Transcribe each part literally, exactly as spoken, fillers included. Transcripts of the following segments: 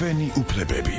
ჩვენი უფლებები.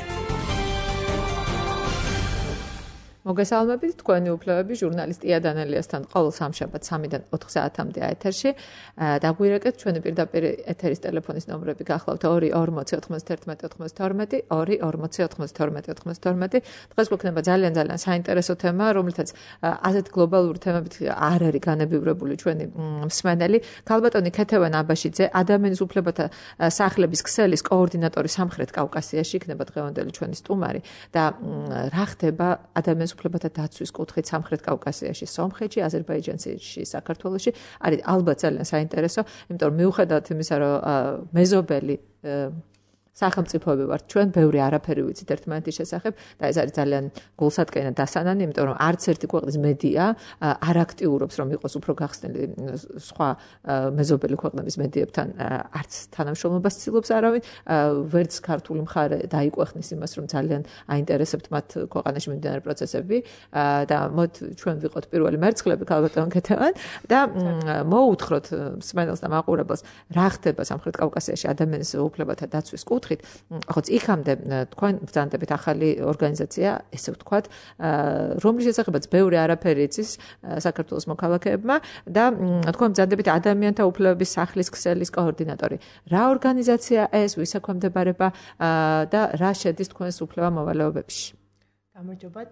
მოგესალმებით, თქვენი უფლებები ჟურნალისტ ია დანელიასთან ყოველ სამშაბათს სამიდან ოთხ საათამდე ეთერში. დაგვირეკეთ ჩვენი პირდაპირ ეთერის ტელეფონის ნომრები გახლავთ ორი ორმოცი ოთხმოცდაერთმეტი ოთხმოცდაათორმეტი, ორი ორმოცი ოთხმოცდაათორმეტი ოთხმოცდაათორმეტი. დღეს გვექნება ძალიან ძალიან საინტერესო თემა, რომლითაც ასეთ გლობალური თემებით არ არის განებივრებული ჩვენი მსმენელი. ქალბატონი ქეთევან აბაშიძე, ადამიანის უფლებათა სახლების ქსელის კოორდინატორი სამხრეთ კავკასიაში, იქნება დღევანდელი ჩვენი სტუმარი და რა ხდება ადამიანის უფლებათა დაცვის კუთხით სამხრეთ კავკასიაში, სომხეთში, აზერბაიჯანში, საქართველოში არის ალბათ ძალიან საინტერესო, იმიტომ რომ მიუხედავად იმისა, რომ მეზობელი სახელმწიფოები ვართ ჩვენ, ბევრი არაფერი ვიცით ერთმანეთის შესახებ და ეს არის ძალიან გულსატკენა დასანანი, იმიტომ რომ არც ერთი ქვეყნის მედია არ აქტიურობს, რომ იყოს უფრო გახსნილი სხვა მეზობელი ქვეყნების მედიებთან, არც თანამშრომლობას ცდილობს არავინ, ვერც ქართული მხარე დაიკვეხნის იმას, რომ ძალიან აინტერესებთ მათ ქვეყანაში მიმდინარე პროცესები და მოდ ჩვენ ვიყოთ პირველი მერცხლები ქალბატონ ქეთევან და მოუთხროთ მსმენელს და მაყურებელს, რა ხდება სამხრეთ კავკასიაში ადამიანის უფლებათა დაცვის კუთხით. Ხოც იქამდე თქვენ ბრძანდებით ახალი ორგანიზაცია, ესე ვთქვათ, რომლის შესახებაც ბევრი არაფერი იცის საქართველოს მოქალაქეებმა და თქვენ ბრძანდებით ადამიანთა უფლებების სახლის ქსელის კოორდინატორი. რა ორგანიზაცია ეს, ვის ექვემდებარება და რა შედის თქვენს უფლება მოვალეობებში? გამარჯობათ.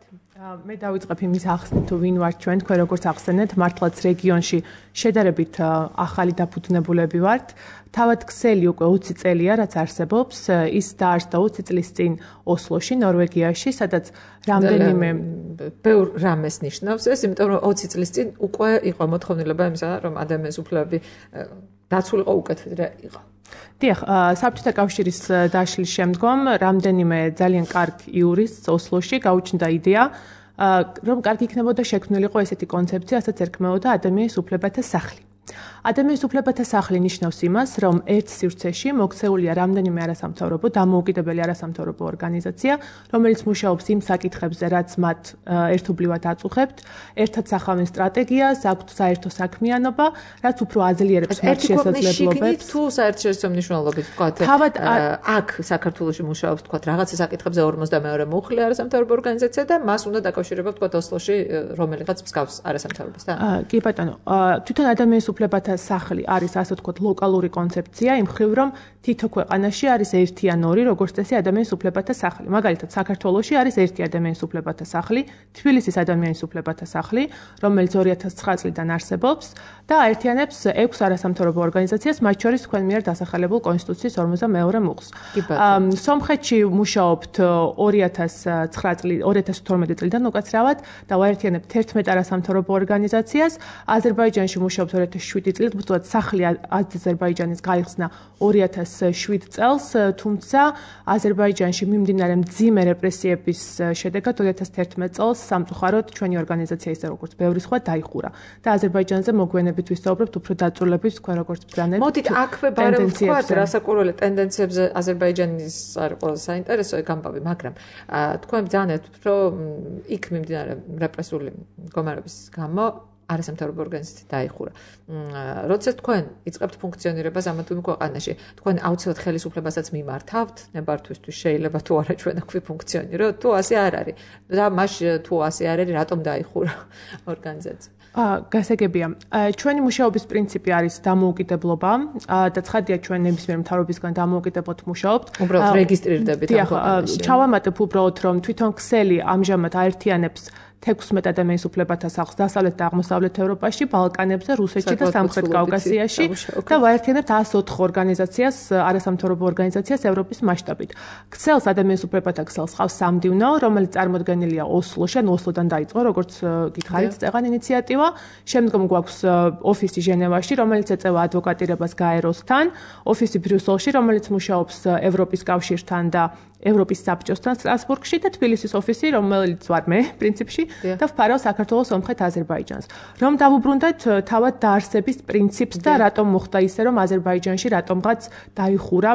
მე დავიწყებ იმის ახსნით, თუ ვინ ვართ ჩვენ, თქვენ როგორც ახსენეთ, მართლაც რეგიონში შედარებით ახალი დაფუძნებულები ვართ. თავად ქსელი უკვე ოცი წელია, რაც არსებობს, ის დაარსდა ოცი წლის წინ ოსლოში, ნორვეგიაში, სადაც რამდენიმე ბევრ რამეს ნიშნავს ეს, იმიტომ რომ ოცი წლის წინ უკვე იყო მოთხოვნილება იმისა, რომ ადამიანის უფლებები დაცულიყო უკეთ ვიდრე იყო. დიახ, საბჭოთა კავშირის დაშლის შემდგომ რამდენიმე ძალიან კარგ იურისტს ოსლოში გაუჩნდა იდეა, რომ კარგი იქნებოდა შექმნილიყო ესეთი კონცეფცია, რასაც ერქმეოდა ადამიანის უფლებათა სახლი. ადამიანის უფლებათა სახლი ნიშნავს იმას, რომ ერთ სივრცეში მოქცეულია რამდენიმე არასამთავრობო, დამოუკიდებელი არასამთავრობო ორგანიზაცია, რომელიც მუშაობს იმ საკითხებზე, რაც მათ ერთობლივად აწუხებთ, ერთად სახავენ სტრატეგიას, აქვთ საერთო საქმიანობა, რაც უფრო აძლიერებს მათ შესაძლებლობებს. თუ საერთაშორისო მნიშვნელობით ვთქვათ, აქ საქართველოში მუშაობს ვთქვათ, რაღაცა საკითხებზე ორმოცდამეორე მუხლი არასამთავრობო ორგანიზაცია და მას უნდა დაკავშირება ვთქვათ ოსლოში რომელიღაც მსგავს არასამთავრობოს, და? კი ბატონო, თვითონ ადამიანის უფლებათა სახლი არის ასე ვთქვათ ლოკალური კონცეფცია, იმ მხრივ რომ თითო ქვეყანაში არის ერთი ან ორი როგორც წესი ადამიანის უფლებათა სახლი. მაგალითად, საქართველოში არის ერთი ადამიანის უფლებათა სახლი, თბილისის ადამიანის უფლებათა სახლი, რომელიც ორი ათას ცხრა წლიდან არსებობს და აერთიანებს ექვს არასამთავრობო ორგანიზაციას, მათ შორის თქვენ მიერ დასახელებულ კონსტიტუციის ორმოცდამეორე მუხლს. სომხეთში მუშაობთ ორი ათას ცხრა წლიდან, ორი ათას თორმეტი წლიდან უკაცრავად და ვაერთიანებთ ერთმეტ არასამთავრობო ორგანიზაციას. აზერბაიჯანში მუშაობთ ორი ათას შვიდი წლით, უბრალოდ სახლი აზერბაიჯანის გაიხსნა ორი ათას შვიდ წელს, თუმცა აზერბაიჯანში მიმდინარე მძიმე რეპრესიების შედეგად ორი ათას თერთმეტ წელს სამწუხაროდ ჩვენი ორგანიზაცია ისე როგორც ბევრი სხვა დაიხურა და აზერბაიჯანზე მოგვიანებით ვისაუბრებთ უფრო დაწვრილებით, თქვენ როგორც ბრძანებთ. მოდით აქვე ბარემ ვთქვათ, რასაკურველი ტენდენციებზე აზერბაიჯანის არის ყველაზე საინტერესო გამბავი, მაგრამ თქვენ ბრძანებთ, რომ იქ მიმდინარე რეპრესიული მდგომარეობის გამო არასამთავრობო ორგანიზაცია დაიხურა. როდესაც თქვენ იწყებთ ფუნქციონირებას ამ თუ იმ ქვეყანაში, თქვენ აუცილებლად ხელისუფლებასაც მიმართავთ, ნებართვისთვის შეიძლება თუ არა ჩვენ აქვე ფუნქციონიროთ, თუ ასე არ არის. და მას თუ ასე არ არის, რატომ დაიხურა ორგანიზაცია? გასაგებია. ჩვენი მუშაობის პრინციპი არის დამოუკიდებლობა და ცხადია ჩვენ ნებისმიერ მთავრობისგან დამოუკიდებლად მუშაობთ. უბრალოდ რეგისტრირდებით ამ ქვეყანაში. ჩავამატებ უბრალოდ რომ თვითონ ქსელი ამჟამად აერთიანებს თექვსმეტ ადამიანის უფლებათა სახლს დასავლეთ და აღმოსავლეთ ევროპაში, ბალკანებზე, რუსეთში და სამხრეთ კავკასიაში და ვაერთიანებთ ას ოთხ ორგანიზაციას, არასამთავრობო ორგანიზაციას ევროპის მასშტაბით. ქსელს ადამიანის უფლებათა ქსელს ხავს სამდივნო, რომელიც წარმოდგენილია ოსლოში, ან ოსლოდან დაიწყო, როგორც გითხარით, წეღან ინიციატივა. შემდგომ გვაქვს ოფისი ჟენევაში, რომელიც ეწევა ადვოკატირებას გაეროსთან, ოფისი ბრიუსელში, რომელიც მუშაობს ევროპის კავშირთან და ევროპის საბჭოსთან სტრასბურგში და თბილისის ოფისი, რომელიც ვარ მე, პრინციპში, და ვფარავ საქართველოს ომხეთ აზერბაიჯანს. რომ დავუბრუნდეთ თავად დაარსების პრინციპს და რატომ მოხდა ისე, რომ აზერბაიჯანში რატომღაც დაიხურა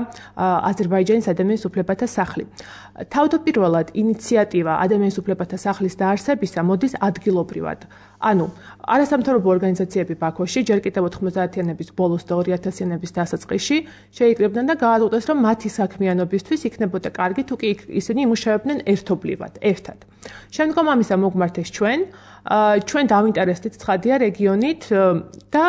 აზერბაიჯანის ადამიანის უფლებათა სახლი. თავდაპირველად ინიციატივა ადამიანის უფლებათა სახლის დაარსებისა მოდის ადგილობრივად. ანუ არასამთავრობო ორგანიზაციები ბაქოში ჯერ კიდევ ოთხმოცდაათიანების ბოლოს და ორი ათასიანების დასაწყისში შეიკრიბნენ და გააუწყეს, რომ მათი საქმიანობისთვის იქნებოდა კარგი, თუ კი ისინი იმუშავებდნენ ერთობლივად, ერთად. შემდგომ ამისა მოგმართეს ჩვენ, ჩვენ დავინტერესდით ცხადია რეგიონით და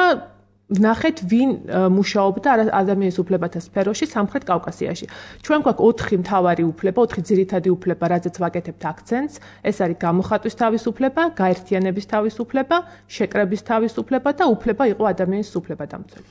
ვნახეთ ვინ მუშაობდა ადამიანის უფლებათა სფეროში სამხრეთ კავკასიაში. ჩვენ გვაქვს ოთხი მთავარი უფლება, ოთხი ძირითადი უფლება, რაზეც ვაკეთებთ აქცენტს. ეს არის გამოხატვის თავისუფლება, გაერთიანების თავისუფლება, შეკრების თავისუფლება და უფლება იყო ადამიანის უფლებადამცველი.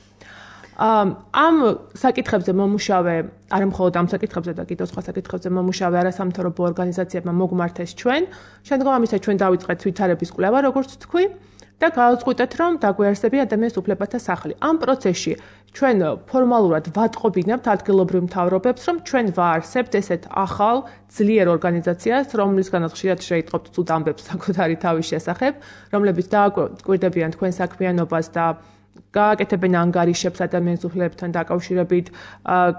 ამ საკითხებზე მომუშავე, არა მხოლოდ ამ საკითხებზე და კიდევ სხვა საკითხებზე მომუშავე არასამთავრობო ორგანიზაციებმა მოგმართეს ჩვენ. შემდგომ ამისა ჩვენ დავიწყეთ ვითარების კვლევა, როგორც თქვი. და გავაწყვეტეთ, რომ დაგვეარსებია ადამიანის უფლებათა სახლი. ამ პროცესში ჩვენ ფორმალურად ვატყობინებთ ადგილობრივ მთავრობებს, რომ ჩვენ ვაარსებთ ესეთ ახალ ძლიერ ორგანიზაციას, რომლისგანაც ხშირად შეიტყობთ ცუდ ამბებს საკუთარი თავის შესახებ, რომლებიც დააკვირდებიან თქვენ საქმიანობას და გააკეთებენ ანგარიშებს ადამიანის უფლებებთან დაკავშირებით,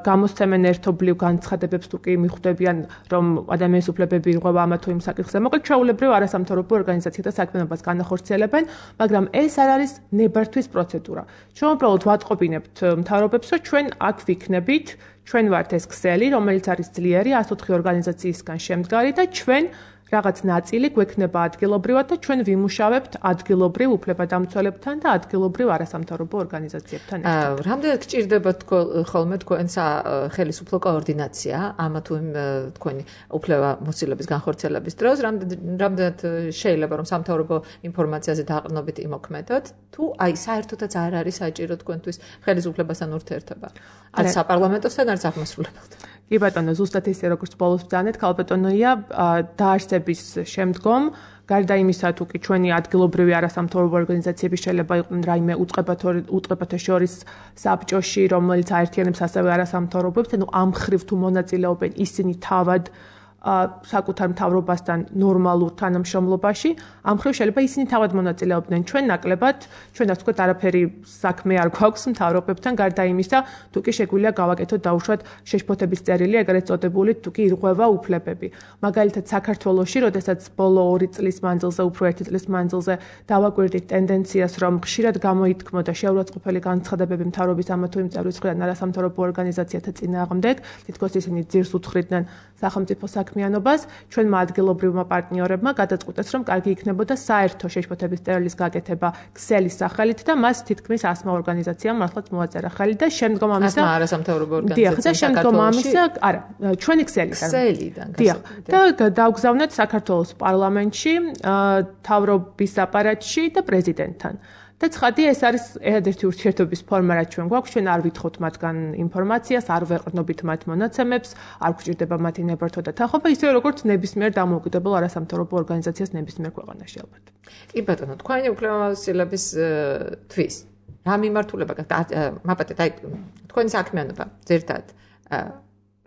გამოსცემენ ერთობლივ განცხადებებს თუ კი მიხვდებიან, რომ ადამიანის უფლებები ირღვევა ამა თუ იმ საკითხზე. მოკლედ, ჩვეულებრივ არასამთავრობო ორგანიზაციათა საქმიანობას განახორციელებენ, მაგრამ ეს არ არის ნებართვის პროცედურა. ჩვენ უბრალოდ ვატყობინებთ მთავრობებს, რომ ჩვენ აქ ვიქნებით, ჩვენ ვართ ეს ქსელი, რომელიც არის ძლიერი ას ოთხი ორგანიზაციისგან შემდგარი და ჩვენ რაღაც ნაწილი გვექნება ადგილობრივად და ჩვენ ვიმუშავებთ ადგილობრივ უფლებადამცველებთან და ადგილობრივ არასამთავრობო ორგანიზაციებთან ერთად. რამდენად გჭირდება ხოლმე თქვენ ხელისუფლო კოორდინაცია ამა თუ იმ თქვენი უფლებამოსილების განხორციელების დროს, რამდენად შეიძლება რომ სამთავრობო ინფორმაციაზე დაყრდნობით იმოქმედოთ, თუ აი საერთოდაც არ არის საჭირო თქვენთვის ხელისუფლებასთან ურთიერთობა? არც საპარლამენტოსთან, არც აღმასრულებელთან. კი ბატონო, ზუსტად ისე როგორც ბოლოს ბრძანეთ, ქალბატონია დაარსების შემდგომ, გარდა იმისა, თუ კი ჩვენი ადგილობრივი არასამთავრობო ორგანიზაციები შეიძლება იყვნენ რაიმე უწყებათა შორის საბჭოში, რომელიც აერთიანებს ასევე არასამთავრობოებს, ანუ ამ მხრივ თუ მონაწილეობენ ისინი თავად საკუთარ მთავრობასთან ნორმალურ თანამშრომლობაში, ამ მხრივ შეიძლება ისინი თავად მონაწილეობდნენ. ჩვენ ნაკლებად, ჩვენ ასე ვთქვათ, არაფერი საქმე არ გვაქვს მთავრობებთან, გარდა იმისა, თუ კი შეგვიძლია გავაკეთოთ დაუშვათ შეშფოთების წერილი, ეგრეთ წოდებული, თუ კი ირღვევა უფლებები. მაგალითად, საქართველოში, როდესაც ბოლო ორი წლის მანძილზე, უფრო ერთი წლის მანძილზე დავაკვირდით ტენდენციას, რომ ხშირად გამოითქმოდა შეურაცხყოფელი განცხადებები მთავრობის ამა თუ იმ წევრის მხრიდან არასამთავრობო ორგანიზაციათა წინააღმდეგ, თითქოს ისინი ძირს უთხრიდნენ სახელმწიფო საქმიანობას, ჩვენმა ადგილობრივმა პარტნიორებმა გადაწყვიტეს, რომ კარგი იქნებოდა საერთო შეშფოთების წერილის გაკეთება ქსელის სახელით და მას თითქმის ასმა ორგანიზაციამ მართლაც მოაწერა ხელი და შემდგომ ამისა ასმა არასამთავრობო ორგანიზაციამ და შემდგომ ამისა, არა, ჩვენი ქსელიდან. ქსელიდან. და დავგზავნეთ საქართველოს პარლამენტში, მთავრობის აპარატში და პრეზიდენტთან. და ცხადია, ეს არის ერთადერთი ურთიერთობის ფორმა, რაც ჩვენ გვაქვს. ჩვენ არ ვითხოვთ მათგან ინფორმაციას, არ ვეყრდნობით მათ მონაცემებს, არ გვჭირდება მათი ნებართვა და თანხმობა, ისე როგორც ნებისმიერ დამოუკიდებელ არასამთავრობო ორგანიზაციას ნებისმიერ ქვეყანაში ალბათ. კი ბატონო, თქვენი უფლებამოსილების თვის რა მიმართულება გაქვთ? მაპატეთ, აი თქვენი საქმიანობა ზერთად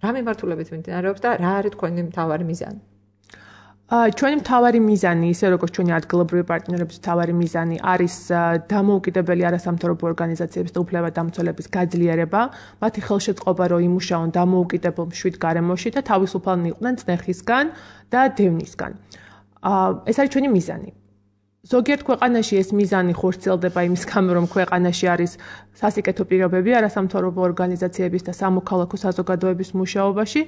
რა მიმართულებით მიმდინარეობს და რა არის თქვენი მთავარი მიზანი? ჩვენი მთავარი მიზანი, ისე როგორც ჩვენი ადგილობრივი პარტნიორების მთავარი მიზანი არის დამოუკიდებელი არასამთავრობო ორგანიზაციების და უფლებადამცველების გაძლიერება, მათი ხელშეწყობა, რომ იმუშაონ დამოუკიდებელ მშვიდ გარემოში და თავისუფალნი იყვნენ წნეხისგან და დევნისგან. ეს არის ჩვენი მიზანი. ზოგიერთ ქვეყანაში ეს მიზანი ხორციელდება იმის გამო, რომ ქვეყანაში არის სასიკეთო პირობები არასამთავრობო ორგანიზაციების და სამოქალაქო საზოგადოების მუშაობაში,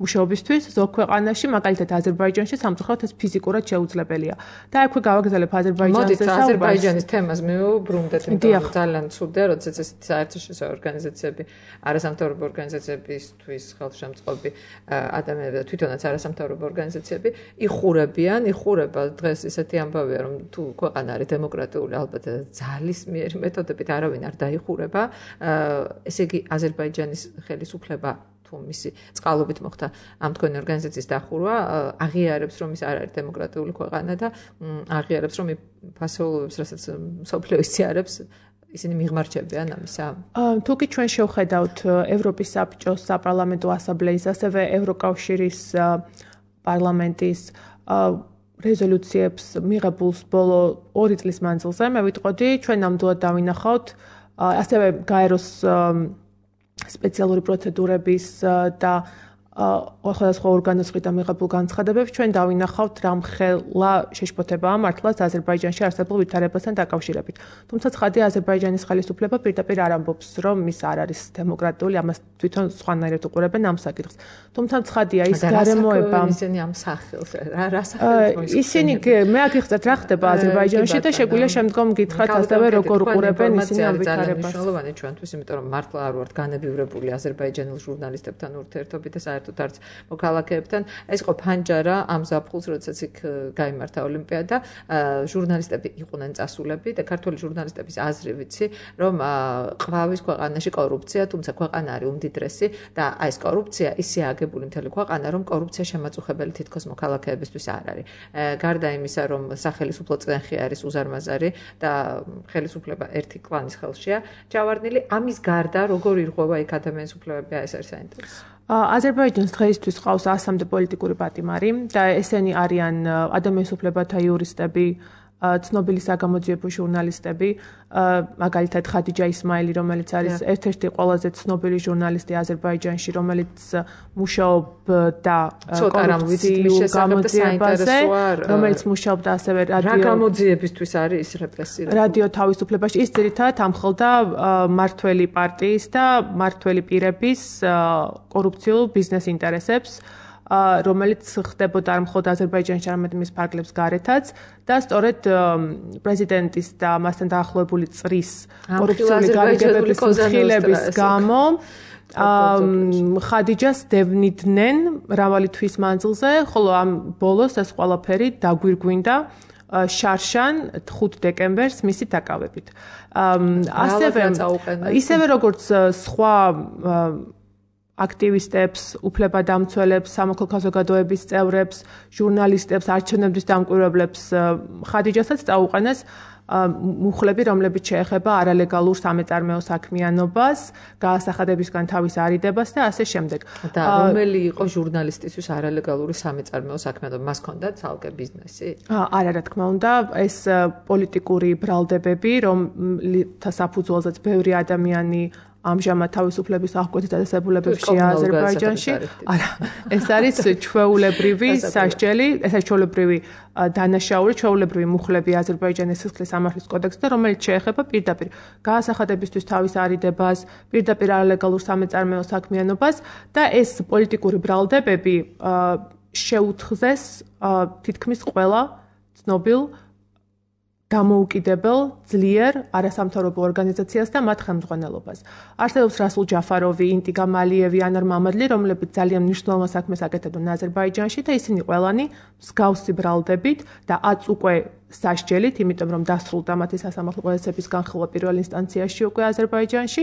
მუშაობისთვის, ზოგ ქვეყანაში, მაგალითად აზერბაიჯანში სამწუხაროდ ეს ფიზიკურად შეუძლებელია. და აქვე გავაგზავნებ აზერბაიჯანზე საუბარს. მოდით აზერბაიჯანის თემას მივუბრუნდეთ, იმიტომ რომ ძალიან ცუდია, როდესაც ესეთი საერთაშორისო ორგანიზაციები, არასამთავრობო ორგანიზაციებისთვის ხელშემწყობი ადამიანები და თვითონაც არასამთავრობო ორგანიზაციები იხურებიან, იხურება დღეს ისეთი ამბავია, რომ თუ ქვეყანა არის დემოკრატიული, ალბათ ძალისმიერი მეთოდებით არავინ არ დაიხურება. ესე იგი აზერბაიჯანის ხელისუფლება თუ მისი წყალობით მოხდა ამ თქვენი ორგანიზაციის დახურვა, აღიარებს, რომ ის არ არის დემოკრატიული ქვეყანა და აღიარებს, რომ ფასეულობებს, რასაც მსოფლიო ისიარებს, ისინი მიღმარჯვებიან ამისა. თუ კი ჩვენ შევხედავთ ევროპის საბჭოს საპარლამენტო ასამბლეის, ასევე ევროკავშირის პარლამენტის რეზოლუციებს მიღებულს ბოლო ორი წლის მანძილზე მე ვიტყოდი ჩვენ ნამდვილად დავინახავთ ასევე გაეროს სპეციალური პროცედურების და სხვადასხვა ორგანოსგან მიღებულ განცხადებებს ჩვენ დავინახავთ რამხელა შეშფოთებაა მართლაც აზერბაიჯანში არსებულ ვითარებასთან დაკავშირებით. თუმცა ცხადია აზერბაიჯანის ხელისუფლება პირდაპირ არ ამბობს რომ ის არ არის დემოკრატიული, ამას თვითონ სხვანაირად უყურებენ ამ საკითხს. თუმცა ცხადია ის გარემოება ისინი ამ სახელს რა სახელს ისინი მე აგიხსნათ რა ხდება აზერბაიჯანში და შეგვიძლია შემდგომ გითხრათ ასევე როგორ უყურებენ ისინი ამ ვითარებას. მნიშვნელოვანი ჩვენთვის, იმიტომ რომ მართლა არ ვართ განებივრებული აზერბაიჯანელ ჟურნალისტებთან ურთიერთობით და საერთოდ არც მოქალაქეებთან. ეს იყო ფანჯარა ამ ზაფხულს, როდესაც იქ გაიმართა ოლიმპიადა, ჟურნალისტები იყვნენ წასულები და ქართული ჟურნალისტების აზრი ვიცი, რომ ყვავის ქვეყანაში კორუფცია, თუმცა ქვეყანა არის უმდიდრესი და აი ეს კორუფცია ისე აგებული მთელი ქვეყანა, რომ კორუფცია შემაწუხებელი თითქოს მოქალაქეებისთვის არ არის. გარდა იმისა, რომ სახელმწიფო წენხი არის უზარმაზარი და ხელისუფლება ერთი კლანის ხელშია ჩავარდნილი, ამის გარდა როგორ ირღვევა იქ ადამიანის უფლებები, ეს არის საინტერესო. აზერბაიჯანს დღეისთვის ყავს ასამდე პოლიტიკური პატიმარი და ესენი არიან ადამიანის უფლებათა იურისტები, ცნობილი საგამოძიებო ჟურნალისტები, მაგალითად ხადიჯა ისმაილი, რომელიც არის ერთ-ერთი ყველაზე ცნობილი ჟურნალისტი აზერბაიჯანში, რომელიც მუშაობდა კორუფციულ გამოძიებაზე, რომელიც მუშაობდა ასევე რადიო რა გამოძიებისთვის არის ის რეპრესირებული? რადიო თავისუფლებაში ის ძირითადად ამხელდა მართველი პარტიის და მართველი პირების კორუფციულ ბიზნეს ინტერესებს. რომელიც ხდებოდა არ მხოლოდ აზერბაიჯანში, არამედ მის ფარგლებს გარეთაც და სწორედ პრეზიდენტის და მასთან დაახლოებული წრის კორუფციული გარიგებების მხილების გამო ხადიჯას დევნიდნენ მრავალი თვის მანძილზე, ხოლო ამ ბოლოს ეს ყველაფერი დაგვირგვინდა შარშან ხუთ დეკემბერს მისი დაკავებით. ასევე ისევე როგორც სხვა აქტივისტებს, უფლებადამცველებს, სამოქალაქო საზოგადოების წევრებს, ჟურნალისტებს, არჩევნების დამკვირვებლებს ხადიჯასაც წაუყენეს მუხლები, რომლებიც შეეხება არალეგალურ სამეწარმეო საქმიანობას, გაასახადებისგან თავის არიდებას და ასე შემდეგ. და რომელი იყო ჟურნალისტისთვის არალეგალური სამეწარმეო საქმიანობა? მას ჰქონდა ცალკე ბიზნესი? არა, რა თქმა უნდა, ეს პოლიტიკური ბრალდებები, რომელთა საფუძველზეც ბევრი ადამიანი ამჟამად თავისუფლების აღკვეთის დაწესებულებებშია აზერბაიჯანში. არა, ეს არის ჩვეულებრივი სასჯელი, ეს არის ჩვეულებრივი დანაშაული, ჩვეულებრივი მუხლები აზერბაიჯანის სისხლის სამართლის კოდექსზე, რომელიც შეეხება პირდაპირ გაასახადებისთვის თავის არიდებას, პირდაპირ არალეგალურ სამეწარმეო საქმიანობას და ეს პოლიტიკური ბრალდებები შეუთხზეს თითქმის ყველა ცნობილ დამოუკიდებელ ძლიერ არასამთავრობო ორგანიზაციას და მათ ხელმძღვანელობას. არსებობს რასულ ჯაფაროვი, ინტიგა მალიევი, ანარ მამადლი, რომლებიც ძალიან მნიშვნელოვან საქმეს აკეთებდნენ აზერბაიჯანში და ისინი ყველანი მსგავსი ბრალდებით და აც უკვე სასჯელით, იმიტომ რომ დასრულდა მათი სასამართლო პროცესების განხილვა პირველ ინსტანციაში უკვე აზერბაიჯანში,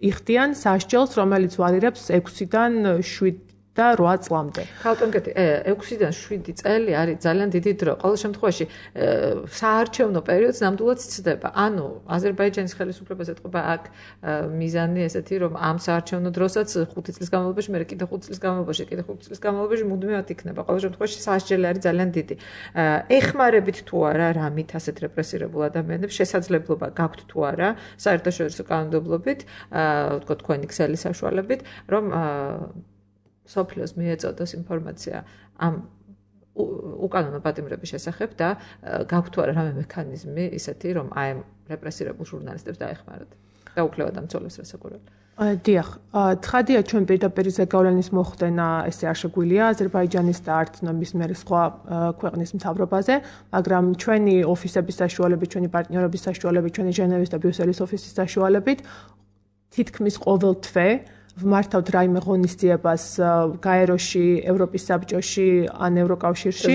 იხდიან სასჯელს, რომელიც ვარირებს ექვსიდან შვიდ და რვა წლამდე. ქალტონკეთი, ექვსიდან შვიდი წელი არის ძალიან დიდი დრო. ყოველ შემთხვევაში საარჩევნო პერიოდს ნამდვილად ცდება. ანუ აზერბაიჯანის ხელისუფლებას ეთყობა აქ მიზანი ესეთი, რომ ამ საარჩევნო დროსაც ხუთი წლის განმავლობაში, მე კიდე ხუთი წლის განმავლობაში, კიდე ხუთი წლის განმავლობაში მუდმივად იქნება. ყოველ შემთხვევაში სასჯელი არის ძალიან დიდი. ეხმარებით თუ არა რამით ასეთ რეპრესირებულ ადამიანებს შესაძლებლობა გაქვთ თუ არა საერთაშორისო კანონმდებლობით, თქო თქვენი ქსელის საშუალებით, რომ სოფლიოს მიეწოდოს ინფორმაცია ამ უკანონო პატიმრების შესახებ და გაქვთ თუ არა რამე მექანიზმი ისეთი, რომ აი ამ რეპრესირებულ ჟურნალისტებს დაეხმაროთ და უფლებადამცველებს რასაკვირველია. დიახ, ცხადია ჩვენ პირდაპირ ზეგავლენის მოხდენა ესე არ შეგვიძლია აზერბაიჯანის და არც ნების მერე სხვა ქვეყნის მთავრობაზე, მაგრამ ჩვენი ოფისების საშუალებით, ჩვენი პარტნიორების საშუალებით, ჩვენი ჟენევის და ბრიუსელის ოფისის საშუალებით თითქმის ყოველ თვე ვმართავთ რაიმე ღონისძიებას გაეროში, ევროპის საბჭოში, ან ევროკავშირში.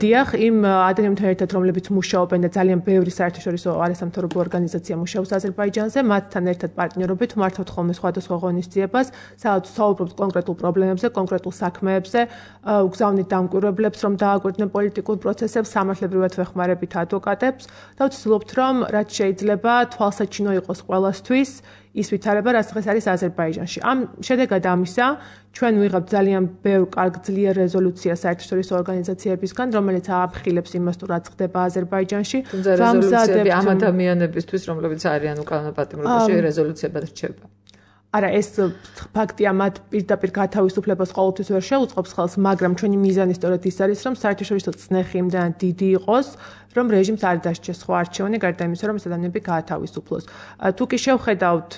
დიახ, იმ ადამიანებთან ერთად, რომლებიც მუშაობენ და ძალიან ბევრი საერთაშორისო არასამთავრობო ორგანიზაცია მუშაობს აზერბაიჯანზე, მათთან ერთად პარტნიორობით ვმართავთ ხოლმე სხვადასხვა ღონისძიებას, სადაც საუბრობთ კონკრეტულ პრობლემებზე, კონკრეტულ საქმეებზე, უგზავნით დამკვირვებლებს, რომ დააკვირდნენ პოლიტიკურ პროცესებს, სამართლებრივად ვეხმარებით ადვოკატებს და ვცდილობთ, რომ რაც შეიძლება თვალსაჩინო იყოს ყველასთვის ის ვითარება, რაც დღეს არის აზერბაიჯანში. ამ შედეგად ამისა ჩვენ ვიღებთ ძალიან ბევრ კარგ ძლიერ რეზოლუციას საერთაშორისო ორგანიზაციებისგან, რომელიც ააფრთხილებს იმას, თუ რაც ხდება აზერბაიჯანში. თუმცა რეზოლუციები ამ ადამიანებისთვის, რომლებიც არიან უკანონო პატიმრობაში, რეზოლუციებად რჩება. არა, ეს ფაქტია, მათ პირდაპირ გათავისუფლებას ყოველთვის ვერ შეუწყობს ხელს, მაგრამ ჩვენი მიზანი სწორედ ის არის, რომ საერთაშორისო წნეხი იმდანაც დიდი იყოს, რომ რეჟიმს არ დასჭეს სხვა არჩევანი, გარდა იმისა, რომ ეს ადამიანები გაათავისუფლოს. თუ კი შევხედავთ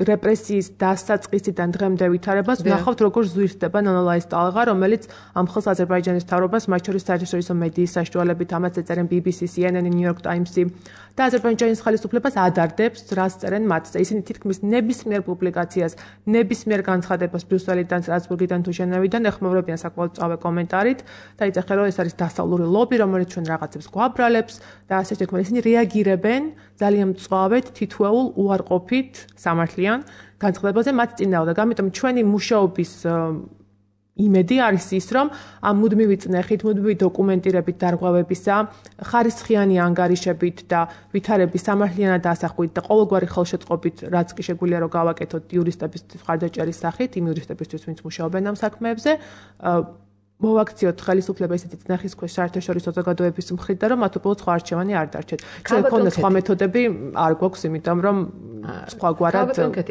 რეპრესიის დასაწყისიდან დღემდე ვითარებას, ვნახავთ, როგორ ზვირთდება ნონოლაის ტალღა, რომელიც ამ ხელს აზერბაიჯანის მთავრობას, მათ შორის საერთაშორისო მედიის საშუალებით, ამას ეწერენ ბი ბი სი, სი ენ ენ, New York Times-ი და აზერბაიჯანის ხელისუფლებას ადარდებს, რაც წერენ მათზე. ისინი თითქმის ნებისმიერ პუბლიკაციას, ნებისმიერ განცხადებას ბრიუსელიდან, სტრასბურგიდან თუ ჟენევიდან ეხმაურებიან საკმაოდ სწრაფ კომენტარით და იწეხენ, რომ ეს არის დასავლური ლობი, რომელიც ჩვენ რაღაცებს გვაბრალებს და ასე შექმნა. ისინი რეაგირებენ ძალიან მწვავედ, თითოეულ უარყოფით სამართლიან განცხადებაზე მათ წინააღმდეგ. ამიტომ ჩვენი მუშაობის იმედი არის ის, რომ ამ მუდმივი წნეხით, მუდმივი დოკუმენტირებით დარღვევებისა, ხარისხიანი ანგარიშებით და ვითარების სამართლიანად ასახვით და ყოველგვარი ხელშეწყობით, რაც კი შეგვიძლია რომ გავაკეთოთ იურისტების მხარდაჭერის სახით, იმ იურისტებისთვის, ვინც მუშაობენ ამ საქმეებზე, მოვაქციოთ ხელისუფლება ისეთი წნეხის ქვეშ საერთაშორისო საზოგადოების მხრიდან, რომ მათ უბრალოდ სხვა არჩევანი არ დარჩეთ. ჩვენ გქონდა სხვა მეთოდები, არ გვაქვს, იმიტომ რომ სხვაგვარად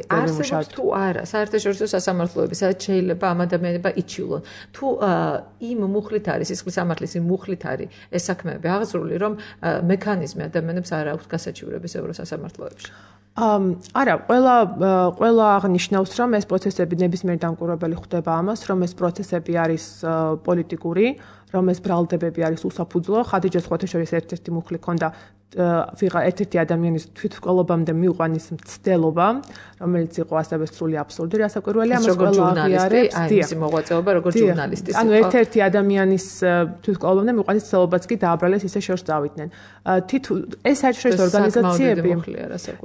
არსებობს თუ არა საერთაშორისო სასამართლოები, სადაც შეიძლება ამ ადამიანებმა იჩივლონ. თუ იმ მუხლით არის, სისხლის სამართლის იმ მუხლით არის ეს საქმეები აღძრული, რომ მექანიზმი ადამიანებს არ აქვს გასაჩივრების ევროსასამართლოებში. არა, ყველა ყველა აღნიშნავს, რომ ეს პროცესები ნებისმიერ დამკვირვებელი ხვდება ამას, რომ ეს პროცესები არის პოლიტიკური, რომ ეს ბრალდებები არის უსაფუძვლო. ხადიჯას ხვათაშორის ერთ-ერთი მუხლი ქონდა ვიღა ერთ-ერთი ადამიანის თვითმკვლელობამდე მიიყვანის მცდელობა, რომელიც იყო ასევე სრული აბსურდი, რასაკვირველია, ამას ყველა აღიარებს. აი, მისი მოღვაწეობა როგორც ჟურნალისტის. ანუ ერთ-ერთი ადამიანის თვითმკვლელობამდე მიიყვანის მცდელობაც კი დააბრალეს, ისე შორს წავიდნენ. თითო ეს საერთაშორისო ორგანიზაციები.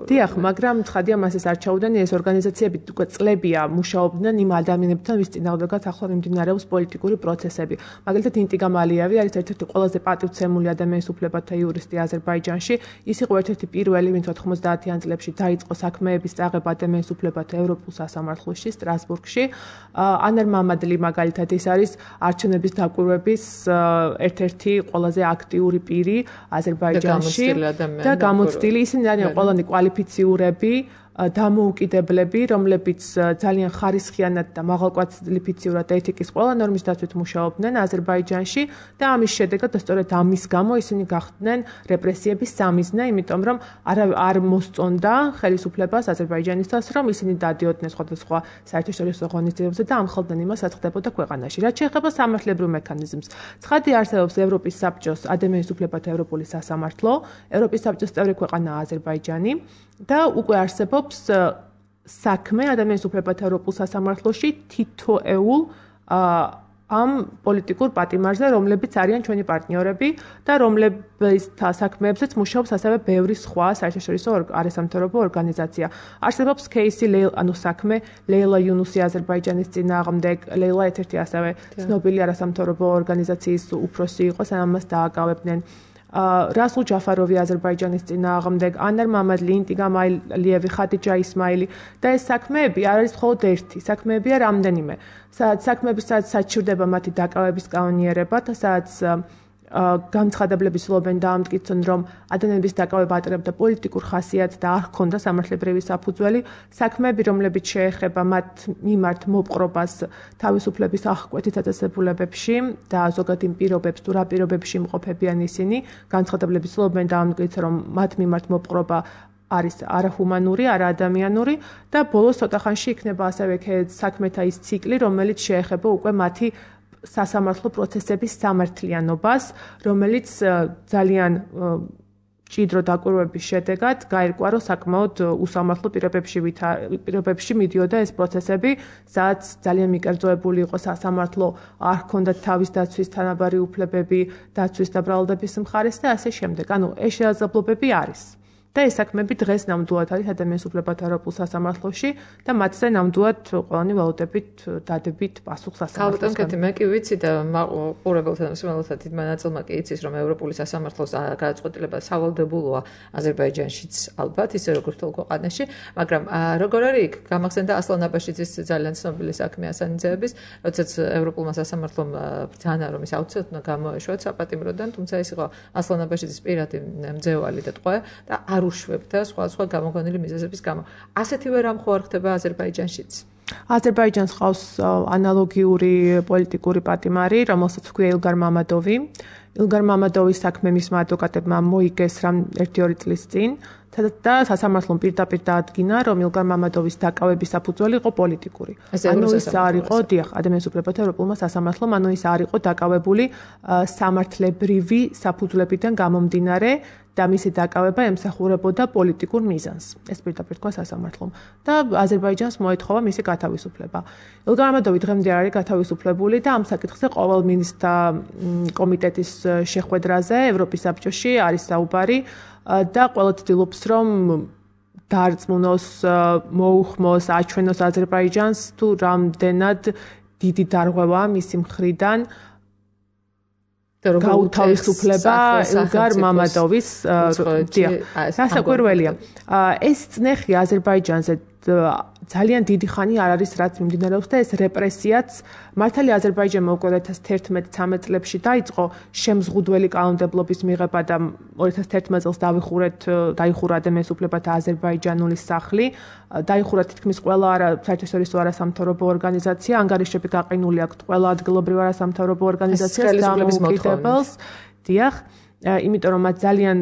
დიახ, მაგრამ ცხადია მას ეს არ ჩაუდენ, ეს ორგანიზაციები უკვე წლებია მუშაობდნენ იმ ადამიანებთან, ვის წინააღმდეგაც ახლა მიმდინარეობს პოლიტიკური პროცესები. მაგალითად ინტიგამ ალიევი არის ერთ-ერთი ყველაზე პატივცემული ადამიანის უფლებათა იურისტი აზერბაიჯანში. ის იყო ერთ-ერთი პირველი, ვინც ოთხმოცდაათიან წლებში დაიწყო საქმეების წაღება ადამიანის უფლებათა ევროპულ სასამართლოში სტრასბურგში. ანარ მამადლი მაგალითად ის არის არჩევნების დაკვირვების ერთ-ერთი ყველაზე აქტიური პირი აზერბაიჯანში და გამოცდილი. ისინი არიან ყველანი კვალიფიციურები, დამოუკიდებლები, რომლებიც ძალიან ხარისხიანად და მაღალკვალიფიციურად ეთიკის ყველა ნორმის დაცვით მუშაობდნენ აზერბაიჯანში და ამის შედეგად და სწორედ ამის გამო ისინი გახდნენ რეპრესიების სამიზნე, იმიტომ რომ არ არ მოსწონდა ხელისუფლებას აზერბაიჯანისას, რომ ისინი დადიოდნენ სხვადასხვა საერთაშორისო ორგანიზაციებზე და ამხელდნენ იმას, რაც ხდებოდა ქვეყანაში. რაც შეეხება სამართლებრივ მექანიზმს, ცხადი არსებობს ევროპის საბჭოს ადამიანის უფლებათა ევროპული სასამართლო, ევროპის საბჭოს წევრი ქვეყანაა აზერბაიჯანი და უკვე არსებობს საქმე ადამიანის უფლებათა ევროპულ სასამართლოში თითოეულ ამ პოლიტიკურ პატიმარზე, რომლებიც არიან ჩვენი პარტნიორები და რომლების საქმეებზეც მუშაობს ასევე ბევრი სხვა საერთაშორისო არასამთავრობო ორგანიზაცია. არსებობს кейსი, ანუ საქმე ლეილა იუნუსი აზერბაიჯანის წინააღმდეგ, ლეილა ერთ-ერთი ასევე ცნობილი არასამთავრობო ორგანიზაციის უფროსი იყო, სანამ მას დააკავებდნენ. რასულ ჯაფაროვი აზერბაიჯანის წინააღმდეგ, ანარ მამადლი, ინტიგამ ალიევი, ხადიჯა ისმაილი და ეს საქმეები არ არის მხოლოდ ერთი, საქმეებია რამდენიმე. სადაც საქმეები სადაც საჩივრდება მათი დაკავების კანონიერება და სადაც განცხადებლები სულობენ დაამტკიცონ, რომ ადამიანების დაკავება ატარებდა პოლიტიკურ ხასიათს და არ ჰქონდა სამართლებრივი საფუძველი, საქმეები, რომლებიც შეეხება მათ მიმართ მოპყრობას თავისუფლების აღკვეთის დაწესებულებებში და ზოგადად იმ პირობებს, თუ რა პირობებში იმყოფებიან ისინი, განცხადებლები სულობენ დაამტკიცონ, რომ მათ მიმართ მოპყრობა არის არაჰუმანური, არაადამიანური და ბოლოს ცოტახანში იქნება ასევე საქმეთა ის ციკლი, რომელიც შეეხება უკვე მათი სასამართლო პროცესების სამართლიანობას, რომელიც ძალიან ჭიდრო დაკვირვების შედეგად გაირკვა, რომ საკმაოდ უსამართლო პირობებში პირობებში მიდიოდა ეს პროცესები, სადაც ძალიან მიკერძოებული იყო სასამართლო, არ ჰქონდათ თავის დაცვის თანაბარი უფლებები, დაცვის და ბრალდების მხარეს და ასე შემდეგ. ანუ ეს შესაძლებლობები არის. და ეს საქმეები დღეს ნამდვილად არის ადამიანის უფლებათა ევროპულ სასამართლოში და მათზე ნამდვილად ყველანი ველოდებით დადებით პასუხს სასამართლოს. ალბათ, მე კი ვიცი და ყურებელთა მსმენელთა დიდმა ნაწილმა კი იცის, რომ ევროპული სასამართლოს გადაწყვეტილება სავალდებულოა აზერბაიჯანშიც ალბათ, ისე როგორც თელ ქვეყანაში, მაგრამ როგორ არის იქ გამახსენდა ასლან აბაშიძის ძალიან ცნობილი საქმე ასანიძეების, როდესაც ევროპულმა სასამართლომ ბრძანა, რომ ის აუცილებლად უნდა გამოეშვათ საპატიმროდან, თუმცა ის იყო ასლან აბაშიძის პირადი მძევალი და ტყვე და არ უშვებდა სხვა სხვა გამოგონილი მიზეზების გამო. ასეთივე რამ ხო არ ხდება აზერბაიჯანშიც? აზერბაიჯანს ყავს ანალოგიური პოლიტიკური პატიმარი, რომელსაც ჰქვია ილგარ მამადოვი. ილგარ მამადოვის საქმე მისმა ადვოკატებმა მოიგეს რამ ერთი-ორი წლის წინ და სასამართლომ პირდაპირ დაადგინა, რომ ილგარ მამადოვის დაკავების საფუძველი იყო პოლიტიკური. ანუ ის არ იყო, დიახ, ადამიანის უფლებათა ევროპულმა სასამართლომ, ანუ ის არ იყო დაკავებული სამართლებრივი საფუძვლებიდან გამომდინარე და მისი დაკავება ემსახურებოდა პოლიტიკურ მიზანს. ეს პირდაპირ თქვა სასამართლომ და აზერბაიჯანს მოეთხოვა მისი გათავისუფლება. ილგარ მამადოვი დღემდე არის გათავისუფლებული და ამ საკითხზე ყოველ მინისტრთა კომიტეტის შეხვედრაზე ევროპის საბჭოში არის საუბარი და ყველა ცდილობს, რომ დაარწმუნოს, მოუხმოს, აჩვენოს აზერბაიჯანს თუ რამდენად დიდი დარღვევაა მისი მხრიდან გაუთავისუფლება ილგარ მამადოვის დასაკვირველია. ეს წნეხი აზერბაიჯანზე ძალიან დიდი ხანი არ არის რაც მიმდინარეობს და ეს რეპრესიაც მართალია აზერბაიჯანმა უკვე ორი ათას თერთმეტ-ცამეტ წლებში დაიწყო შემზღუდველი კანონმდებლობის მიღება და ორი ათას თერთმეტ წელს დავიხურეთ დაიხურა ადამიანის უფლებათა აზერბაიჯანული სახლი, დაიხურა თითქმის ყველა საერთაშორისო არასამთავრობო ორგანიზაცია, ანგარიშები გაყინული აქვს ყველა ადგილობრივ არასამთავრობო ორგანიზაციას დამოუკიდებელს. დიახ, იმიტომ რომ მათ ძალიან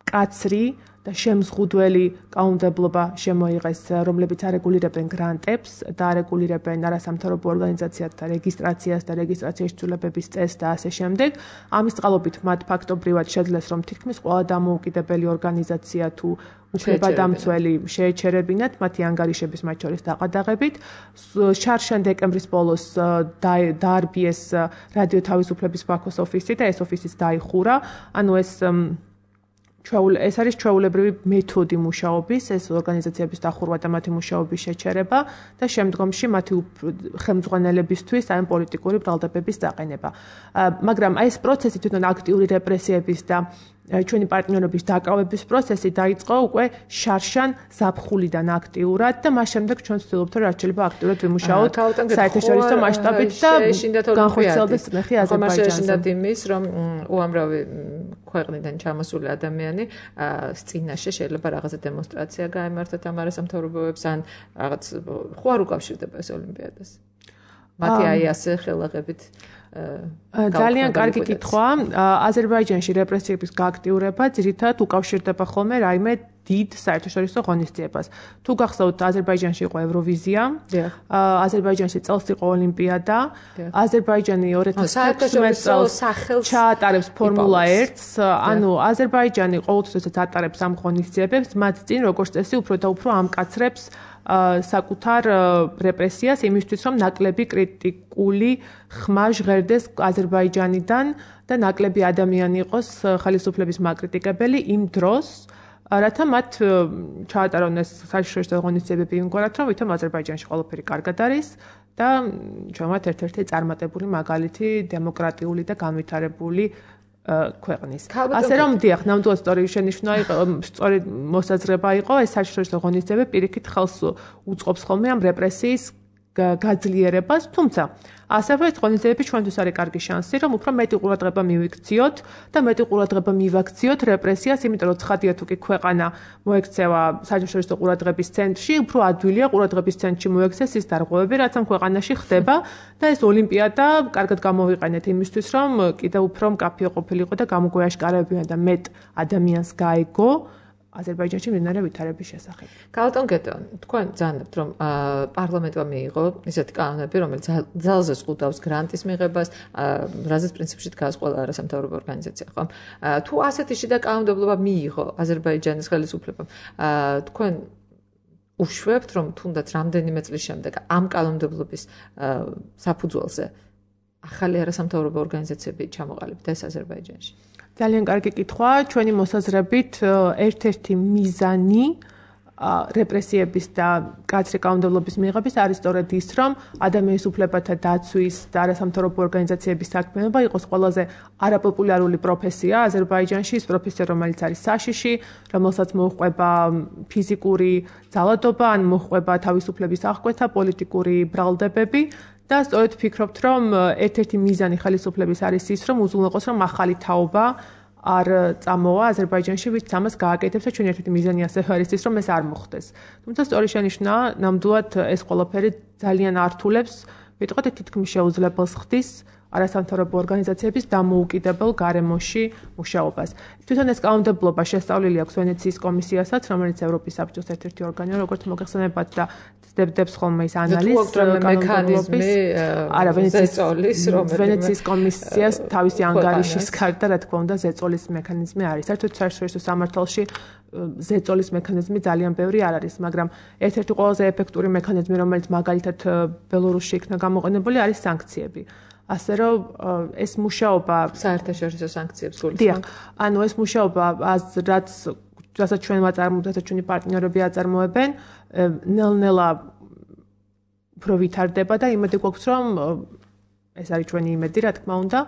კაცრი და შემზღუდველი კანონმდებლობა შემოიღეს, რომლებიც არეგულირებენ გრანტებს და არეგულირებენ არასამთავრობო ორგანიზაციათა რეგისტრაციას და რეგისტრაციის ცვლილებების წესს და ასე შემდეგ. ამის წყალობით მათ ფაქტობრივად შეძლეს, რომ თითქმის ყველა დამოუკიდებელი ორგანიზაცია თუ უფლებადამცველი შეეჩერებინათ მათი ანგარიშების მათ შორის დაყადაღებით. შარშან დეკემბრის ბოლოს დაარბიეს რადიო თავისუფლების ბაქოს ოფისი და ეს ოფისიც დაიხურა. ანუ ეს ეს არის ჩვეულებრივი მეთოდი მუშაობის, ეს ორგანიზაციების დახურვა და მათი მუშაობის შეჩერება და შემდგომში მათი ხელმძღვანელებისთვის აი პოლიტიკური ბრალდებების დაყენება. მაგრამ აი ეს პროცესი თვითონ აქტიური რეპრესიების და ჩვენი პარტნიორების დაკავების პროცესი დაიწყო უკვე შარშან ზაფხულიდან აქტიურად და მას შემდეგ ჩვენ ვცდილობთ რომ რაც შეიძლება აქტიურად ვიმუშაოთ საერთაშორისო მასშტაბით და განხორციელდეს წნეხი აზერბაიჯანზე. შეეშინდათ იმის, რომ უამრავი ქვეყნიდან ჩამოსული ადამიანი წინაშე შეიძლება რაღაცა დემონსტრაცია გაემართათ ამ არასამთავრობოებს ან რაღაც ხო არ უკავშირდება ეს ოლიმპიადას. მათი აი ასე ხელაღებით ძალიან კარგი კითხვა. აზერბაიჯანში რეპრესიების გააქტიურება ძირითადად უკავშირდება ხოლმე რაიმე დიდ საერთაშორისო ღონისძიებას. თუ გახსოვთ, აზერბაიჯანში იყო ევროვიზია, აზერბაიჯანში წელს იყო ოლიმპიადა, აზერბაიჯანი ორი ათას თერთმეტ წელს ჩაატარებს ფორმულა ერთს, ანუ აზერბაიჯანი ყოველთვის ატარებს ამ ღონისძიებებს, მათ წინ როგორც წესი უფრო და უფრო ამკაცრებს საკუთარ რეპრესიას იმისთვის, რომ ნაკლები კრიტიკული ხმა ჟღერდეს აზერბაიჯანიდან და ნაკლები ადამიანი იყოს ხელისუფლების მაკრიტიკებელი იმ დროს, რათა მათ ჩაატარონ ეს საერთაშორისო ღონისძიებები იმგვარად, რომ ვითომ აზერბაიჯანში ყველაფერი კარგად არის და ჩვენთ ერთ-ერთი წარმატებული მაგალითი დემოკრატიული და განვითარებული ქვეყნის. ასე რომ დიახ, ნამდვილად სწორი შენიშვნა იყო, სწორი მოსაზრება იყო, ეს საერთაშორისო ღონისძიებები პირიქით ხელს უწყობს ხოლმე ამ რეპრესიის გაძლიერებას, თუმცა ასევე ეს ღონისძიებები ჩვენთვის არის კარგი შანსი, რომ უფრო მეტი ყურადღება მივიქციოთ და მეტი ყურადღება მივაქციოთ რეპრესიას, იმიტომ რომ ცხადია თუ კი ქვეყანა მოექცევა საერთაშორისო ყურადღების ცენტრში, უფრო ადვილია ყურადღების ცენტრში მოექცეს ის დარღვევები, რაც ამ ქვეყანაში ხდება და ეს ოლიმპიადა კარგად გამოვიყენეთ იმისთვის, რომ კიდევ უფრო მკაფიო ყოფილიყო და გამოგვეაშკარებინა და მეტ ადამიანს გაეგო აზერბაიჯანში მიმდინარე ვითარების შესახებ. გალტონ გეტონ, თქვენ ძანებთ, რომ პარლამენტმა მიიღო ისეთი კანონები, რომელიც ძალზე ზღუდავს გრანტის მიღებას, რაზეც პრინციპში დგას ყველა არასამთავრობო ორგანიზაცია, ხო? თუ ასეთი შიდა კანონმდებლობა მიიღო აზერბაიჯანის ხელისუფლებამ, თქვენ უშვებთ, რომ თუნდაც რამდენიმე წლის შემდეგ ამ კანონმდებლობის საფუძველზე ახალი არასამთავრობო ორგანიზაციები ჩამოყალიბდა ეს აზერბაიჯანში? ძალიან კარგი კითხვა. ჩვენი მოსაზრებით ერთ-ერთი მიზანი რეპრესიების და კაცრი კანონმდებლობის მიღების არის სწორედ ის, რომ ადამიანის უფლებათა დაცვის და არასამთავრობო ორგანიზაციების საქმიანობა იყოს ყველაზე არაპოპულარული პროფესია აზერბაიჯანში, ის პროფესია, რომელიც არის საშიში, რომელსაც მოჰყვება ფიზიკური ძალადობა, ან მოჰყვება თავისუფლების აღკვეთა, პოლიტიკური ბრალდებები. და სწორედ ვფიქრობთ, რომ ერთ-ერთი მიზანი ხელისუფლების არის ის, რომ უზრუნველყოს, რომ ახალი თაობა არ წამოვა აზერბაიჯანში, ვით ამას გააკეთებს და ჩვენ ერთ-ერთი მიზანი ასევე არის ის, რომ ეს არ მოხდეს. თუმცა სწორი შენიშვნაა, ნამდვილად ეს ყველაფერი ძალიან ართულებს, ვიტყოდეთ თითქმის შეუძლებელს ხდის არასამთავრობო ორგანიზაციების დამოუკიდებელ გარემოში მუშაობას. თვითონ ეს კანონმდებლობა შესწავლილი აქვს ვენეციის კომისიასაც, რომელიც ევროპის საბჭოს ერთ-ერთი ორგანოა, როგორც მოგეხსენებათ და ძდებდებს ხოლმე ის ანალიზს მექანიზმი არა ზეწოლის, რომელიც ვენეციის კომისიას თავისი ანგარიშის გარდა, რა თქმა უნდა, ზეწოლის მექანიზმი არის. საერთოდ საერთაშორისო სამართალში ზეწოლის მექანიზმი ძალიან ბევრი არ არის, მაგრამ ერთ-ერთი ყველაზე ეფექტური მექანიზმი, რომელიც მაგალითად ბელორუსში იქნა გამოყენებული, არის სანქციები. ასე რომ ეს მუშაობა საერთაშორისო სანქციებს გულისხმობს. დიახ, ანუ ეს მუშაობა რაც რასაც ჩვენ ვაწარმოებთ, რასაც ჩვენი პარტნიორები აწარმოებენ, ნელ-ნელა უფრო ვითარდება და იმედი გვაქვს, რომ ეს არის ჩვენი იმედი, რა თქმა უნდა,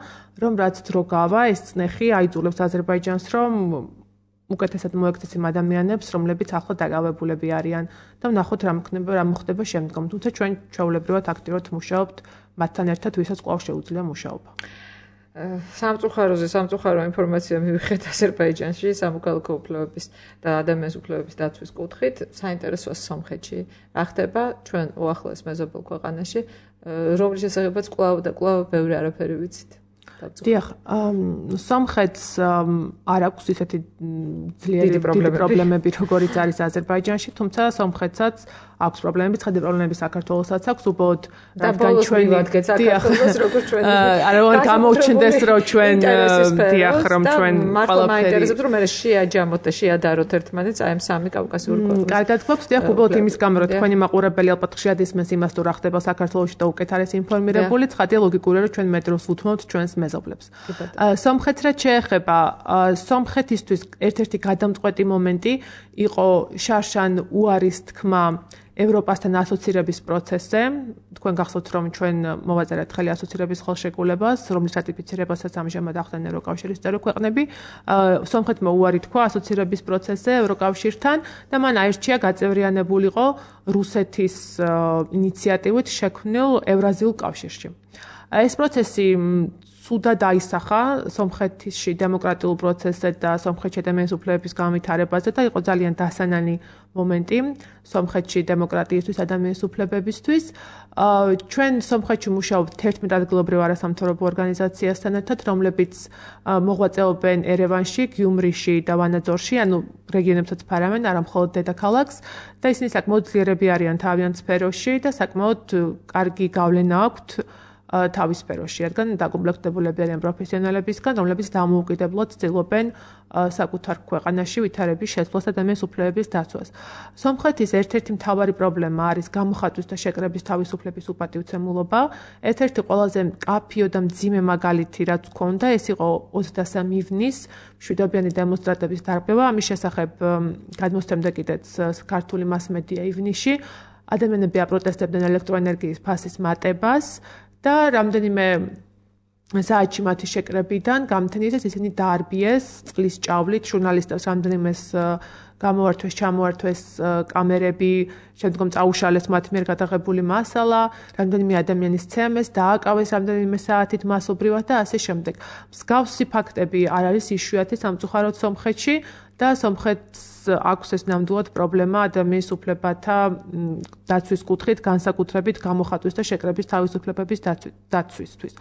რომ რაც დრო გავა, ეს წნეხი აიძულებს აზერბაიჯანს, რომ უკეთესად მოექცეს იმ ადამიანებს, რომლებიც ახლა დაკავებულები არიან და ვნახოთ რა მოხდება, რა მოხდება შემდგომ. თუმცა ჩვენ ჩვეულებრივად აქტიურად მუშაობთ მათთან ერთად, ვისაც კვლავ შეუძლია მუშაობა. სამწუხაროზე სამწუხარო ინფორმაცია მივიღეთ აზერბაიჯანში სამოქალაქო უფლებების და ადამიანის უფლებების დაცვის კუთხით. საინტერესოა სომხეთში რა ხდება ჩვენ უახლოეს მეზობელ ქვეყანაში, რომლის შესახებაც კვლავ და კვლავ ბევრი არაფერი ვიცით. დიახ, სომხეთს არ აქვს ისეთი ძლიერი პრობლემები, როგორიც არის აზერბაიჯანში, თუმცა სომხეთსაც აქვს პრობლემები, ცხადი პრობლემები საქართველოსაც აქვს, უბრალოდ რადგან ჩვენი საქართველოს როგორც ჩვენ არა რომ გამოუჩნდეს რომ ჩვენ დიახ რომ ჩვენ ყველაფერი მაინტერესებს რომ მე შეაჯამოთ და შეადაროთ ერთმანეთს აი ამ სამი კავკასიური ქვეყნის. კარგად გვაქვს, დიახ, უბრალოდ იმის გამო რომ თქვენი მაყურებელი ალბათ ხშირად ისმენს იმას თუ რა ხდება საქართველოში და უკეთ არის ინფორმირებული, ცხადია ლოგიკურია რომ ჩვენ მეტროს უთმობთ ჩვენს მეზობლებს. სომხეთს რაც შეეხება, სომხეთისთვის ერთ-ერთი გადამწყვეტი მომენტი იყო შარშან უარის თქმა ევროპასთან ასოცირების პროცესზე. თქვენ გახსოვთ, რომ ჩვენ მოვაწერეთ ხელი ასოცირების ხელშეკრულებას, რომლის რატიფიცირებასაც ამჟამად ახდენენ ევროკავშირის წევრი ქვეყნები. სომხეთმა უარი თქვა ასოცირების პროცესზე ევროკავშირთან და მან აირჩია გაწევრიანებულიყო რუსეთის ინიციატივით შექმნილ ევრაზიულ კავშირში. ეს პროცესი სუდად აისახა სომხეთში დემოკრატიულ პროცესზე და სომხეთში ადამიანის უფლებების განვითარებაზე და იყო ძალიან დასანანი მომენტი სომხეთში დემოკრატიისთვის, ადამიანის უფლებებისთვის. ჩვენ სომხეთში მუშაობთ თერთმეტ ადგილობრივ არასამთავრობო ორგანიზაციასთან ერთად, რომლებიც მოღვაწეობენ ერევანში, გიუმრიში და ვანაძორში, ანუ რეგიონებსაც ფარავენ, არა მხოლოდ დედაქალაქს და ისინი საკმაოდ ძლიერები არიან თავიანთ სფეროში და საკმაოდ კარგი გავლენა აქვთ თავის სფეროში, რადგან დაკომპლექტებულები არიან პროფესიონალებისგან, რომლებიც დამოუკიდებლად ცდილობენ საკუთარ ქვეყანაში ვითარების შეცვლას და ადამიანის უფლებების დაცვას. სომხეთის ერთ-ერთი მთავარი პრობლემა არის გამოხატვის და შეკრების თავისუფლების უპატივცემულობა. ერთ-ერთი ყველაზე მკაფიო და მძიმე მაგალითი, რაც ჰქონდა, ეს იყო ოცდასამი ივნის მშვიდობიანი დემონსტრატების დარღვევა. ამის შესახებ გადმოსცემდა კიდეც ქართული მასმედია ივნისში. ადამიანები აპროტესტებდნენ ელექტროენერგიის ფასის მატებას. და რამდენიმე საათში მათი შეკრებიდან გამთენიეს ისინი დაარბიეს წყლის ჭავლით ჟურნალისტებს რამდენიმეს გამოართვეს ჩამოართვეს კამერები შემდგომ წაუშალეს მათ მიერ გადაღებული მასალა რამდენიმე ადამიანის ცემეს დააკავეს რამდენიმე საათით მასობრივად და ასე შემდეგ მსგავსი ფაქტები არ არის იშვიათი სამწუხაროდ სომხეთში და სომხეთს აქვს ეს ნამდვილად პრობლემა ადამიანის უფლებათა დაცვის კუთხით, განსაკუთრებით გამოხატვის და შეკრების თავისუფლებების დაცვისთვის.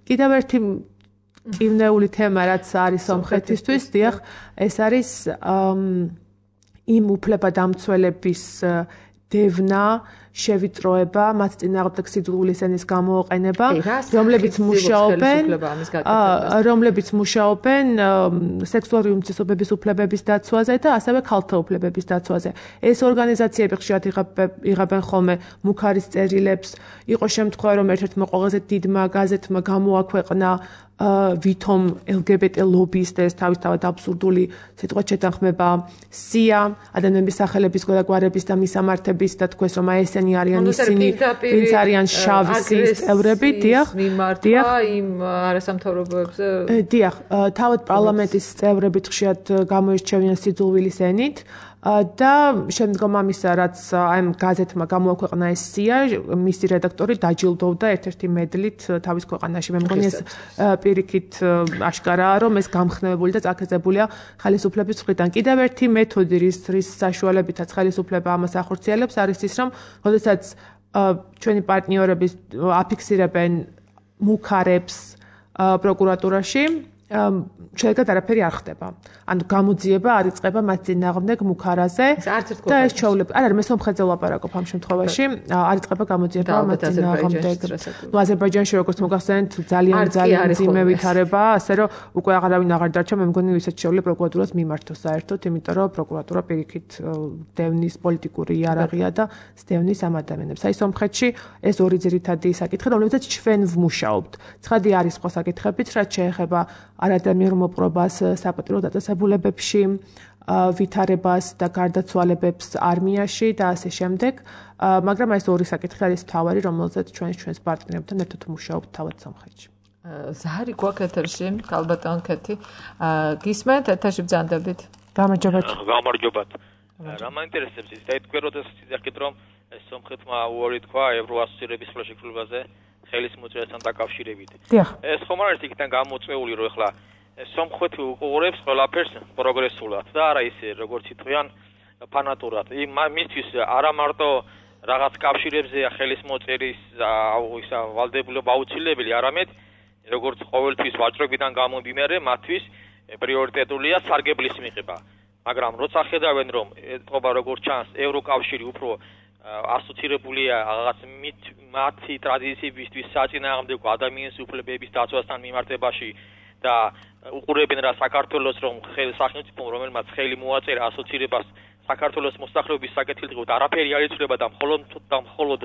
კიდევ ერთი კივნეული თემა, რაც არის სომხეთისთვის, დიახ, ეს არის იმ უფლებადამცველების დევნა, შევიწროება, მათ წინააღმდეგ სიძულვილის ენის გამოყენება, რომლებიც მუშაობენ, რომლებიც მუშაობენ სექსუალური უმცირესობების უფლებების დაცვაზე და ასევე ქალთა უფლებების დაცვაზე. ეს ორგანიზაციები ხშირად იღებენ ხოლმე მუქარის წერილებს. იყო შემთხვევა, რომ ერთ-ერთმა ყველაზე დიდმა გაზეთმა გამოაქვეყნა ვითომ ელ გი ბი ტი ლობის და ეს თავისთავად აბსურდული სიტყვით შეთანხმება სია ადამიანების სახელების გვარების და მისამართების და თქვეს რომ აი ესენი არიან ისინი ვინც არიან შავი სიის წევრები დიახ დიახ იმ არასამთავრობოებზე დიახ თავად პარლამენტის წევრებით ხშირად გამოირჩევიან სიძულვილის ენით და შემდგომ ამისა რაც აი გაზეთმა გამოაქვეყნა ეს სია მისი რედაქტორი დაჯილდოვდა ერთ-ერთი მედლით თავის ქვეყანაში მე მგონი ეს პირიქით აშკარაა რომ ეს გამხნევებული და წაქეზებულია ხელისუფლების მხრიდან კიდევ ერთი მეთოდი რის რის საშუალებითაც ხელისუფლება ამას ახორციელებს არის ის რომ როდესაც ჩვენი პარტნიორები აფიქსირებენ მუქარებს პროკურატურაში შეიძლება არაფერი არ ხდება. ანუ გამოძიება არ იწყება მათ წინააღმდეგ მუქარაზე და ეს ჩვეულები არ არის მე სომხეთზე ვლაპარაკობ ამ შემთხვევაში არ იწყება გამოძიება მათ წინააღმდეგ. ნუ აზერბაიჯანში როგორც მოგახსენეთ ძალიან ძალიან ძიმე ვითარება, ასე რომ უკვე აღარავინ აღარ დარჩა მე მგონი ვისაც შეუძლია პროკურატურას მიმართოს საერთოდ, იმიტომ რომ პროკურატურა პირიქით დევნის პოლიტიკური იარაღია და სდევნის ამ ადამიანებს. აი სომხეთში ეს ორი ძირითადი საკითხი, რომლებიც ჩვენ ვმუშაობთ. ცხადი არის სხვა საკითხებიც, რაც შეეხება არადამიერ მოპყრობას საპატრულო დაწესებულებებში, ვითარებას და გარდაცვალებებს არმიაში და ასე შემდეგ. მაგრამ ეს ორი საკითხი არის მთავარი, რომელზეც ჩვენ ჩვენს პარტნიორებთან ერთად ვმუშაობთ თავად სომხეთში. ზაარი გვაქვს ეთერში, ქალბატონ ქეთი. გისმენთ ეთერში ბრძანდებით. გამარჯობათ. გამარჯობათ. რა მაინტერესებს ის დაიტყვეროდეს ისეთ რომ სომხეთმა უარი თქვა ევროასოცირების ხელშეკრულებაზე ხელის მოწერასთან დაკავშირებით. ეს ხომ არის იქიდან გამოწვეული რომ ეხლა სომხეთი უყურებს ყველაფერს პროგრესულად და არა ისე როგორც იტყვიან ფანატურად. მისთვის არა მარტო რაღაც კავშირებზე ხელის მოწერის ისა ვალდებულება აუცილებელი, არამედ როგორც ყოველთვის ვაჭრობიდან გამომდინარე, მათთვის პრიორიტეტულია სარგებლის მიღება. მაგრამ როცა ხედავენ რომ ეთყობა როგორც ჩანს ევროკავშირი უფრო ასოცირებულია რაღაც მათი ტრადიციებისთვის საწინააღმდეგო ადამიანის უფლებების დაცვასთან მიმართებაში და უყურებენ რა საქართველოს რომ სახელმწიფო რომელმაც ხელი მოაწერა ასოცირებას საქართველოს მოსახლეობის საკეთილდღეოდ არაფერი არ იცვლება და მხოლოდ და მხოლოდ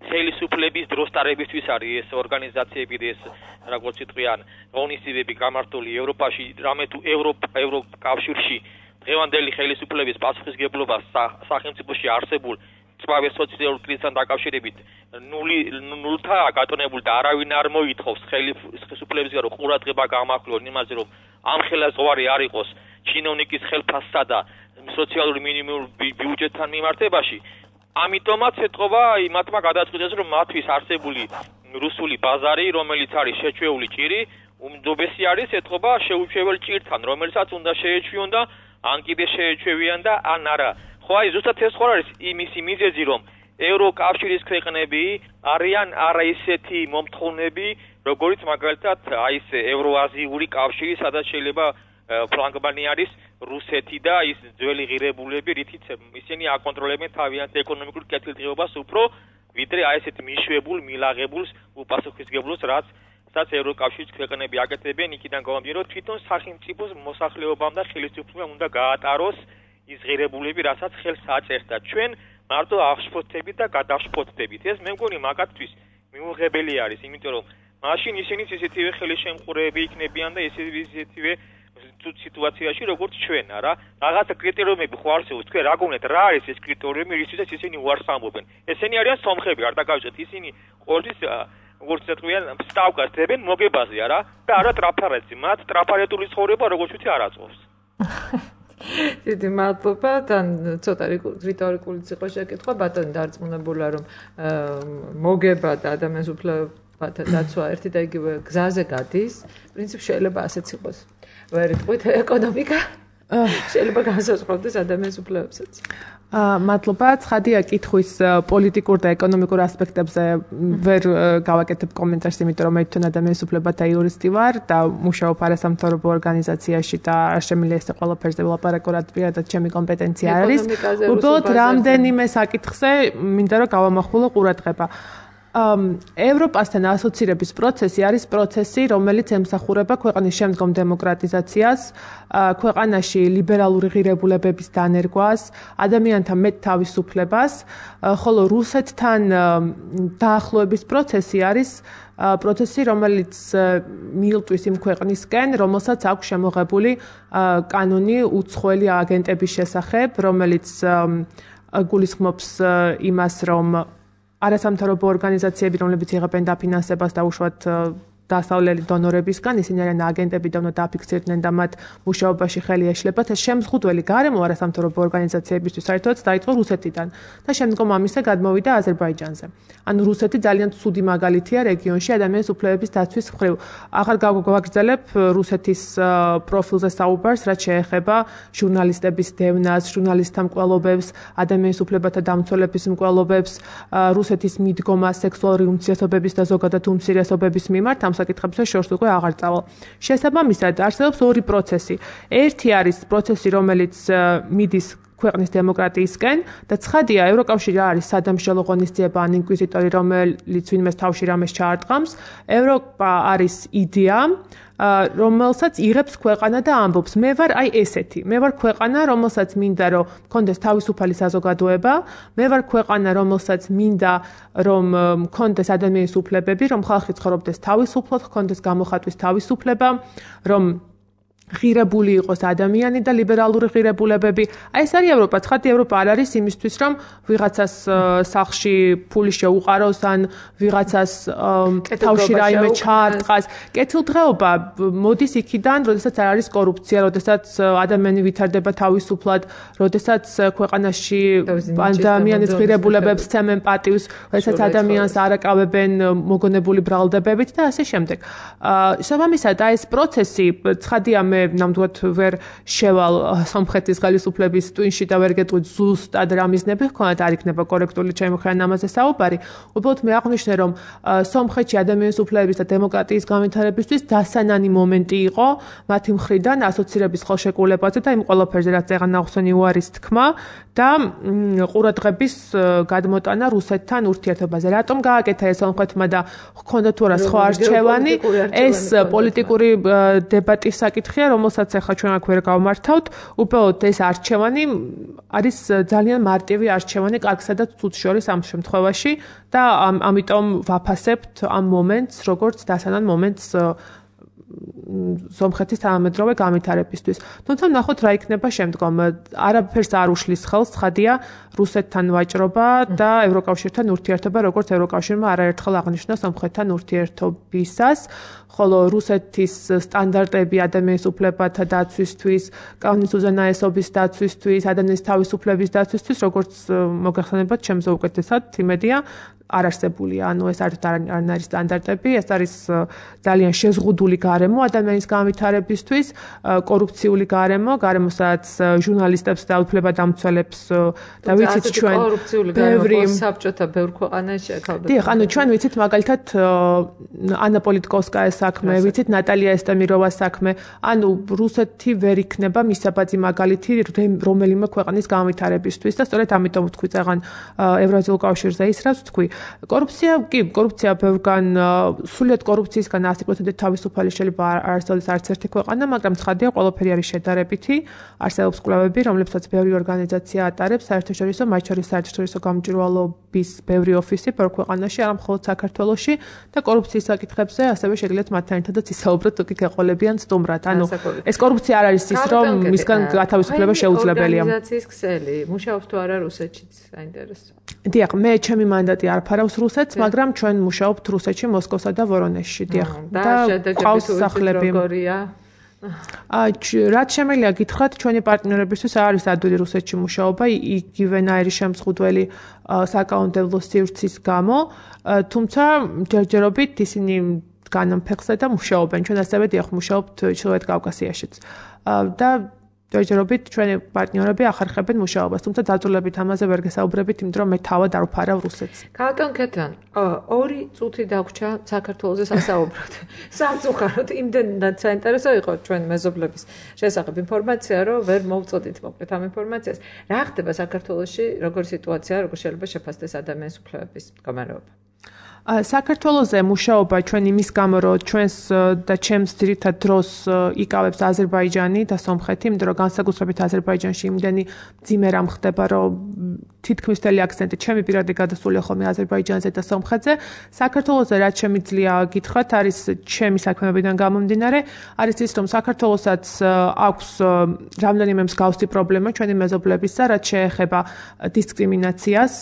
ხელისუფლების დროსტარებისთვის არის ეს ორგანიზაციები და ეს როგორც იტყვიან ღონისძიებები გამართული ევროპაში რამე თუ ევროკავშირში დღევანდელი ხელისუფლების პასუხისგებლობა სახელმწიფოში არსებულ წვავე სოციალური კრიზისთან დაკავშირებით ნული ნულთაა გატონებული და არავინ არ მოითხოვს ხელისუფლებისგან რომ ყურადღება გამახვილონ იმაზე რომ ამ ხელისუფლება არ იყოს ჩინოვნიკის ხელფასსა და სოციალური მინიმუმ ბიუჯეტთან მიმართებაში. ამიტომაც ეთყობა იმათმა გადაწყვიტეს რომ მათთვის არსებული რუსული ბაზარი რომელიც არის შეჩვეული ჭირი უმჯობესი არის ეთყობა შეუჩვეველ ჭირთან რომელსაც უნდა შეეჩვიონ და ან კიდე შეეჩვევიან და ან არა. ხო აი ზუსტად ეს ხო არის იმისი მიზეზი რომ ევროკავშირის ქვეყნები არიან არა ისეთი მომთხოვნები როგორც მაგალითად აი ეს ევროაზიური კავშირი სადაც შეიძლება ფრანგმანი არის რუსეთი და ის ძველი ღირებულები რითიც ისინი აკონტროლებენ თავიანთ ეკონომიკურ კეთილდღეობას უფრო ვიდრე აი ესეთ მიშვებულ მილაღებულს უპასუხისმგებლოს რაც სადაც ევროკავშირის ქვეყნები აკეთებენ იქიდან გამომდინარე რომ თვითონ სახელმწიფოს მოსახლეობამ და ხელისუფლებამ უნდა გაატაროს ის ღირებულები, რასაც ხელს აწერს და ჩვენ მარტო აღშფოთებით და გადაშფოთებით. ეს მე მგონი მაგათთვის მიუღებელი არის, იმიტომ რომ მაშინ ისინიც ისეთივე ხელშემყურეები იქნებიან და ისეთივე სიტუაციაში როგორც ჩვენ, არა? რაღაცა კრიტერიუმები ხო არსებობს, თქვენ რა გონიათ, რა არის ეს კრიტერიუმი, რისთვისაც ისინი უარს ამბობენ? ესენი არიან სომხები, არ დაგავიწყეთ, ისინი ყოველთვის როგორც ეთქვიან, სტავკას დებენ მოგებაზე, არა? და არა ტრაფარეთზე. მათ ტრაფარეტული ცხოვრება როგორც ვთქვი არ აწოვს. დიდი მადლობა და ცოტა რიტორიკულიც იყო შეკითხვა ბატონი დარწმუნებულა რომ მოგება და ადამიანის უფლებათა დაცვა ერთი და იგივე გზაზე გადის პრინციპი შეიძლება ასეც იყოს ვერ იტყვით ეკონომიკა შეიძლება განსაზღვროს ადამიანის უფლებებსაც მადლობა. ცხადია, კითხვის პოლიტიკურ და ეკონომიკურ ასპექტებზე ვერ გავაკეთებ კომენტარს, იმიტომ რომ მე თვითონ ადამიანის უფლებათა იურისტი ვარ და მუშაობ არასამთავრობო ორგანიზაციაში და არ შემიძლია ეს ყველაფერზე ვილაპარაკო, რაც პირადად ჩემი კომპეტენცია არ არის. უბრალოდ რამდენიმე საკითხზე მინდა რომ გავამახვილო ყურადღება. ევროპასთან ასოცირების პროცესი არის პროცესი, რომელიც ემსახურება ქვეყნის შემდგომ დემოკრატიზაციას, ქვეყანაში ლიბერალური ღირებულებების დანერგვას, ადამიანთა მეტ თავისუფლებას, ხოლო რუსეთთან დაახლოების პროცესი არის პროცესი, რომელიც მიილტვის იმ ქვეყნისკენ, რომელსაც აქვს შემოღებული კანონი უცხოელი აგენტების შესახებ, რომელიც გულისხმობს იმას, რომ არასამთავრობო ორგანიზაციები, რომლებიც იღებენ დაფინანსებას და უშუალოდ დასავლელი დონორებისგან, ისინი არიან აგენტები და უნდა დაფიქსირდნენ და მათ მუშაობაში ხელი ეშლებათ. ეს შემზღუდველი გარემო არასამთავრობო ორგანიზაციებისთვის საერთოდ დაიწყო რუსეთიდან და შემდგომ ამისა გადმოვიდა აზერბაიჯანზე. ანუ რუსეთი ძალიან ცუდი მაგალითია რეგიონში ადამიანის უფლებების დაცვის მხრივ. ახლა გავაგრძელებ რუსეთის პროფილზე საუბარს, რაც შეეხება ჟურნალისტების დევნას, ჟურნალისტთა მკვლელობებს, ადამიანის უფლებათა დამცველების მკვლელობებს, რუსეთის მიდგომას სექსუალური უმცირესობების და ზოგადად უმცირესობების მიმართ ამ საკითხებზე შორს უკვე აღარ წავალ. შესაბამისად, არსებობს ორი პროცესი. ერთი არის პროცესი, რომელიც მიდის ქვეყნის დემოკრატიისკენ და ცხადია, ევროკავშირი არის სადამსჯელო ღონისძიება ან ინკვიზიტორი, რომელიც ვინმეს თავში რამეს ჩაარტყამს. ევროპა არის იდეა, რომელსაც იღებს ქვეყანა და ამბობს, მე ვარ აი ესეთი, მე ვარ ქვეყანა, რომელსაც მინდა რომ მქონდეს თავისუფალი საზოგადოება, მე ვარ ქვეყანა, რომელსაც მინდა რომ მქონდეს ადამიანის უფლებები, რომ ხალხი ცხოვრობდეს თავისუფლად, მქონდეს გამოხატვის თავისუფლება, რომ ღირებული იყოს ადამიანი და ლიბერალური ღირებულებები. აი ეს არის ევროპა. ცხადი ევროპა არ არის იმისთვის, რომ ვიღაცას სახლში ფული შეუყაროს ან ვიღაცას თავში რაიმე ჩაარტყას. კეთილდღეობა მოდის იქიდან, როდესაც არ არის კორუფცია, როდესაც ადამიანი ვითარდება თავისუფლად, როდესაც ქვეყანაში ადამიანის ღირებულებებს სცემენ პატივს, როდესაც ადამიანს არ აკავებენ მოგონებული ბრალდებებით და ასე შემდეგ. შესაბამისად, აი ეს პროცესი ცხადია მე ნამდვილად ვერ შევალ სომხეთის ხელისუფლების ტვინში და ვერ გეტყვით ზუსტად რა მიზნები ჰქონდათ, არ იქნება კორექტული ჩემი მხრიდან ამაზე საუბარი. უბრალოდ მე აღვნიშნე, რომ სომხეთში ადამიანის უფლებების და დემოკრატიის განვითარებისთვის დასანანი მომენტი იყო მათი მხრიდან ასოცირების ხელშეკრულებაზე და იმ ყველაფერზე, რაც ეხლა ნახსენი უარის თქმა და ყურადღების გადმოტანა რუსეთთან ურთიერთობაზე. რატომ გააკეთა ეს სომხეთმა და ჰქონდა თუ არა სხვა არჩევანი? ეს პოლიტიკური დებატის საკითხია, რომელსაც ახლა ჩვენ აქ ვერ გავმართავთ. უბრალოდ ეს არჩევანი არის ძალიან მარტივი არჩევანი კარგსა და ცუდს შორის ამ შემთხვევაში და ამიტომ ვაფასებთ ამ მომენტს, როგორც დასანან მომენტს სომხეთის თანამედროვე განვითარებისთვის. თუმცა ნახოთ რა იქნება შემდგომ. არაფერს არ უშლის ხელს, ცხადია, რუსეთთან ვაჭრობა და ევროკავშირთან ურთიერთობა, როგორც ევროკავშირმა არაერთხელ აღნიშნა სომხეთთან ურთიერთობისას. ხოლო რუსეთის სტანდარტები ადამიანის უფლებათა დაცვისთვის, კანონის უზენაესობის დაცვისთვის, ადამიანის თავისუფლების დაცვისთვის, როგორც მოგეხსენებათ, ჩემზე უკეთესად იმედია არ არსებულია. ანუ ეს არ არის სტანდარტები, ეს არის ძალიან შეზღუდული გარემო ადამიანის განვითარებისთვის, კორუფციული გარემო, გარემო, სადაც ჟურნალისტებს და უფლებადამცველებს და ვიცით ჩვენ ბევრი საბჭოთა ბევრ ქვეყანაში აკავებენ. დიახ, ანუ ჩვენ ვიცით მაგალითად ანა პოლიტკოვსკაის საქმე, ვიცით ნატალია ესტემიროვას საქმე, ანუ რუსეთი ვერ იქნება მისაბაძი მაგალითი რომელიმე ქვეყნის განვითარებისთვის და სწორედ ამიტომ ვთქვი წაღან ევრაზიულ კავშირზე ისრავს ვთქვი. კორუფცია, კი, კორუფცია ბევრგან სულიად კორუფციისგან ათი პროცენტით თავისუფალი შეიძლება არ არსებობს არც ერთი ქვეყანა, მაგრამ ცხადია ყველაფერი არის შედარებითი. არსებობს კვლევები, რომლებსაც ბევრი ორგანიზაცია ატარებს, საერთაშორისო, მათ შორის საერთაშორისო გამჭვირვალობის ბევრი ოფისი ბევრ ქვეყანაში, არა მხოლოდ საქართველოში და კორუფციის საკითხებზე ასევე შეგიძლიათ მათთან ერთადაც ისაუბროთ, თუ კი გეყოლებიან სტუმრად. ანუ ეს კორუფცია არ არის ის, რომ მისგან გათავისუფლება შეუძლებელია. ორგანიზაციის ქსელი, მუშაობს თუ არა რუსეთშიც, საინტერესო. დიახ, მე ჩემი მანდატი არ ფარავს რუსეთს, მაგრამ ჩვენ მუშაობთ რუსეთში, მოსკოვსა და ვორონეჟში, დიახ. და ყავს სახლები. აი, რაც შემიძლია გითხრათ, ჩვენი პარტნიორებისთვის არის ადვილი რუსეთში მუშაობა, იგივენაირი შემზღუდველი საკანონმდებლო სივრცის გამო, თუმცა ჯერჯერობით ისინი განამ ფეხზე და მუშაობენ. ჩვენ ასევე დიახ, მუშაობთ ჩრდილოეთ კავკასიაშიც. და ჯერჯერობით ჩვენი პარტნიორები ახერხებენ მუშაობას, თუმცა დაძულებით ამაზე ვერ გესაუბრებით, იმიტომ რომ მე თავად არ ვფარავ რუსეთს. ქალბატონ ქეთან, ორი წუთი დაგვრჩა საქართველოს სასაუბროდ. სამწუხაროდ იმდენად საინტერესო იყო ჩვენი მეზობლების შესახებ ინფორმაცია, რომ ვერ მოვწოდით მოკლედ ამ ინფორმაციას. რა ხდება საქართველოში, როგორი სიტუაცია, როგორ შეიძლება შეფასდეს ადამიანის უფლებების მდგომარეობა? საქართველოზე მუშაობა ჩვენ იმის გამო, რომ ჩვენს და ჩემს ძირითად დროს იკავებს აზერბაიჯანი და სომხეთი, იმიტომ რომ განსაკუთრებით აზერბაიჯანში იმდენი მძიმე რამ ხდება, რომ თითქმის მთელი აქცენტი ჩემი პირადი გადასულია ხოლმე აზერბაიჯანზე და სომხეთზე. საქართველოზე რაც შემიძლია გითხრათ, არის ჩემი საქმეებიდან გამომდინარე, არის ის, რომ საქართველოსაც აქვს რამდენიმე მსგავსი პრობლემა ჩვენი მეზობლებისა, რაც შეეხება დისკრიმინაციას,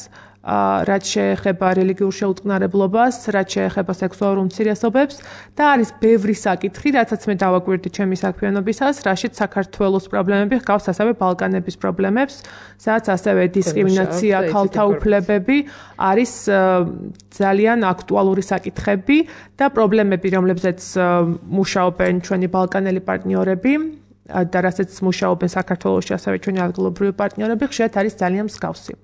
რაც შეეხება რელიგიურ შეუწყნარებლობას, რაც შეეხება სექსუალურ უმცირესობებს და არის ბევრი საკითხი, რაცაც მე დავაკვირდი ჩემი საქმიანობისას, რაშიც საქართველოს პრობლემები ჰგავს ასევე ბალკანების პრობლემებს, სადაც ასევე დისკრიმინაცია, ქალთა უფლებები არის ძალიან აქტუალური საკითხები და პრობლემები, რომლებზეც მუშაობენ ჩვენი ბალკანელი პარტნიორები და რასაც მუშაობენ საქართველოში ასევე ჩვენი ადგილობრივი პარტნიორები, ხშირად არის ძალიან მსგავსი.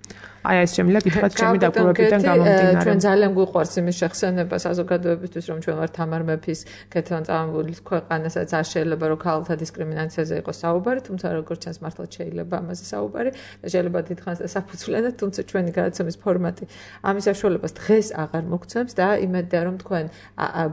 აი ეს შემიძლია გითხრათ ჩემი დაკვირვებიდან გამომდინარე. ჩვენ ძალიან გვიყვარს იმის შეხსენება საზოგადოებისთვის, რომ ჩვენ ვართ თამარ მეფის ქეთევან წამებულის ქვეყანა, სადაც არ შეიძლება რომ ქალთა დისკრიმინაციაზე იყოს საუბარი, თუმცა როგორც ჩანს მართლაც შეიძლება ამაზე საუბარი და შეიძლება დიდხანს საფუძვლიანად, თუმცა ჩვენი გადაცემის ფორმატი ამის საშუალებას დღეს აღარ მოგცემს და იმედია რომ თქვენ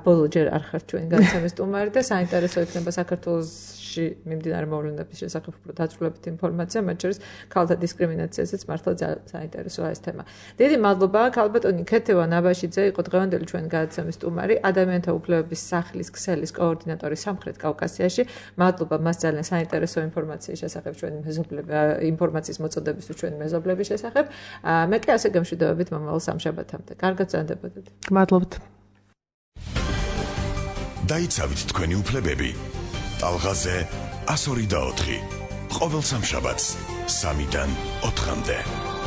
ბოლო ჯერ არ ხართ ჩვენი გადაცემის სტუმარი და საინტერესო იქნება საქართველოს მიმდინარე მოვლენების შესახებ უფრო დაწვრილებითი ინფორმაცია, მათ შორის ქალთა დისკრიმინაციაზეც მართლა საინტერესოა ეს თემა. დიდი მადლობა ქალბატონი ქეთევან ნაბაშიძე იყო დღევანდელი ჩვენი გადაცემის სტუმარი, ადამიანთა უფლებების სახლის ქსელის კოორდინატორი სამხრეთ კავკასიაში. მადლობა მას ძალიან საინტერესო ინფორმაციის შესახებ ჩვენი მეზობლები ინფორმაციის მოწოდებისთვის ჩვენი მეზობლების შესახებ. მე კი ასე გემშვიდობებით მომავალ სამშაბათამდე. კარგად ზანდებოდეთ. გმადლობთ. დაიცავით თქვენი უფლებები. ტალღაზე ასორი და ოთხი. ყოველ სამშაბათს სამიდან ოთხამდე.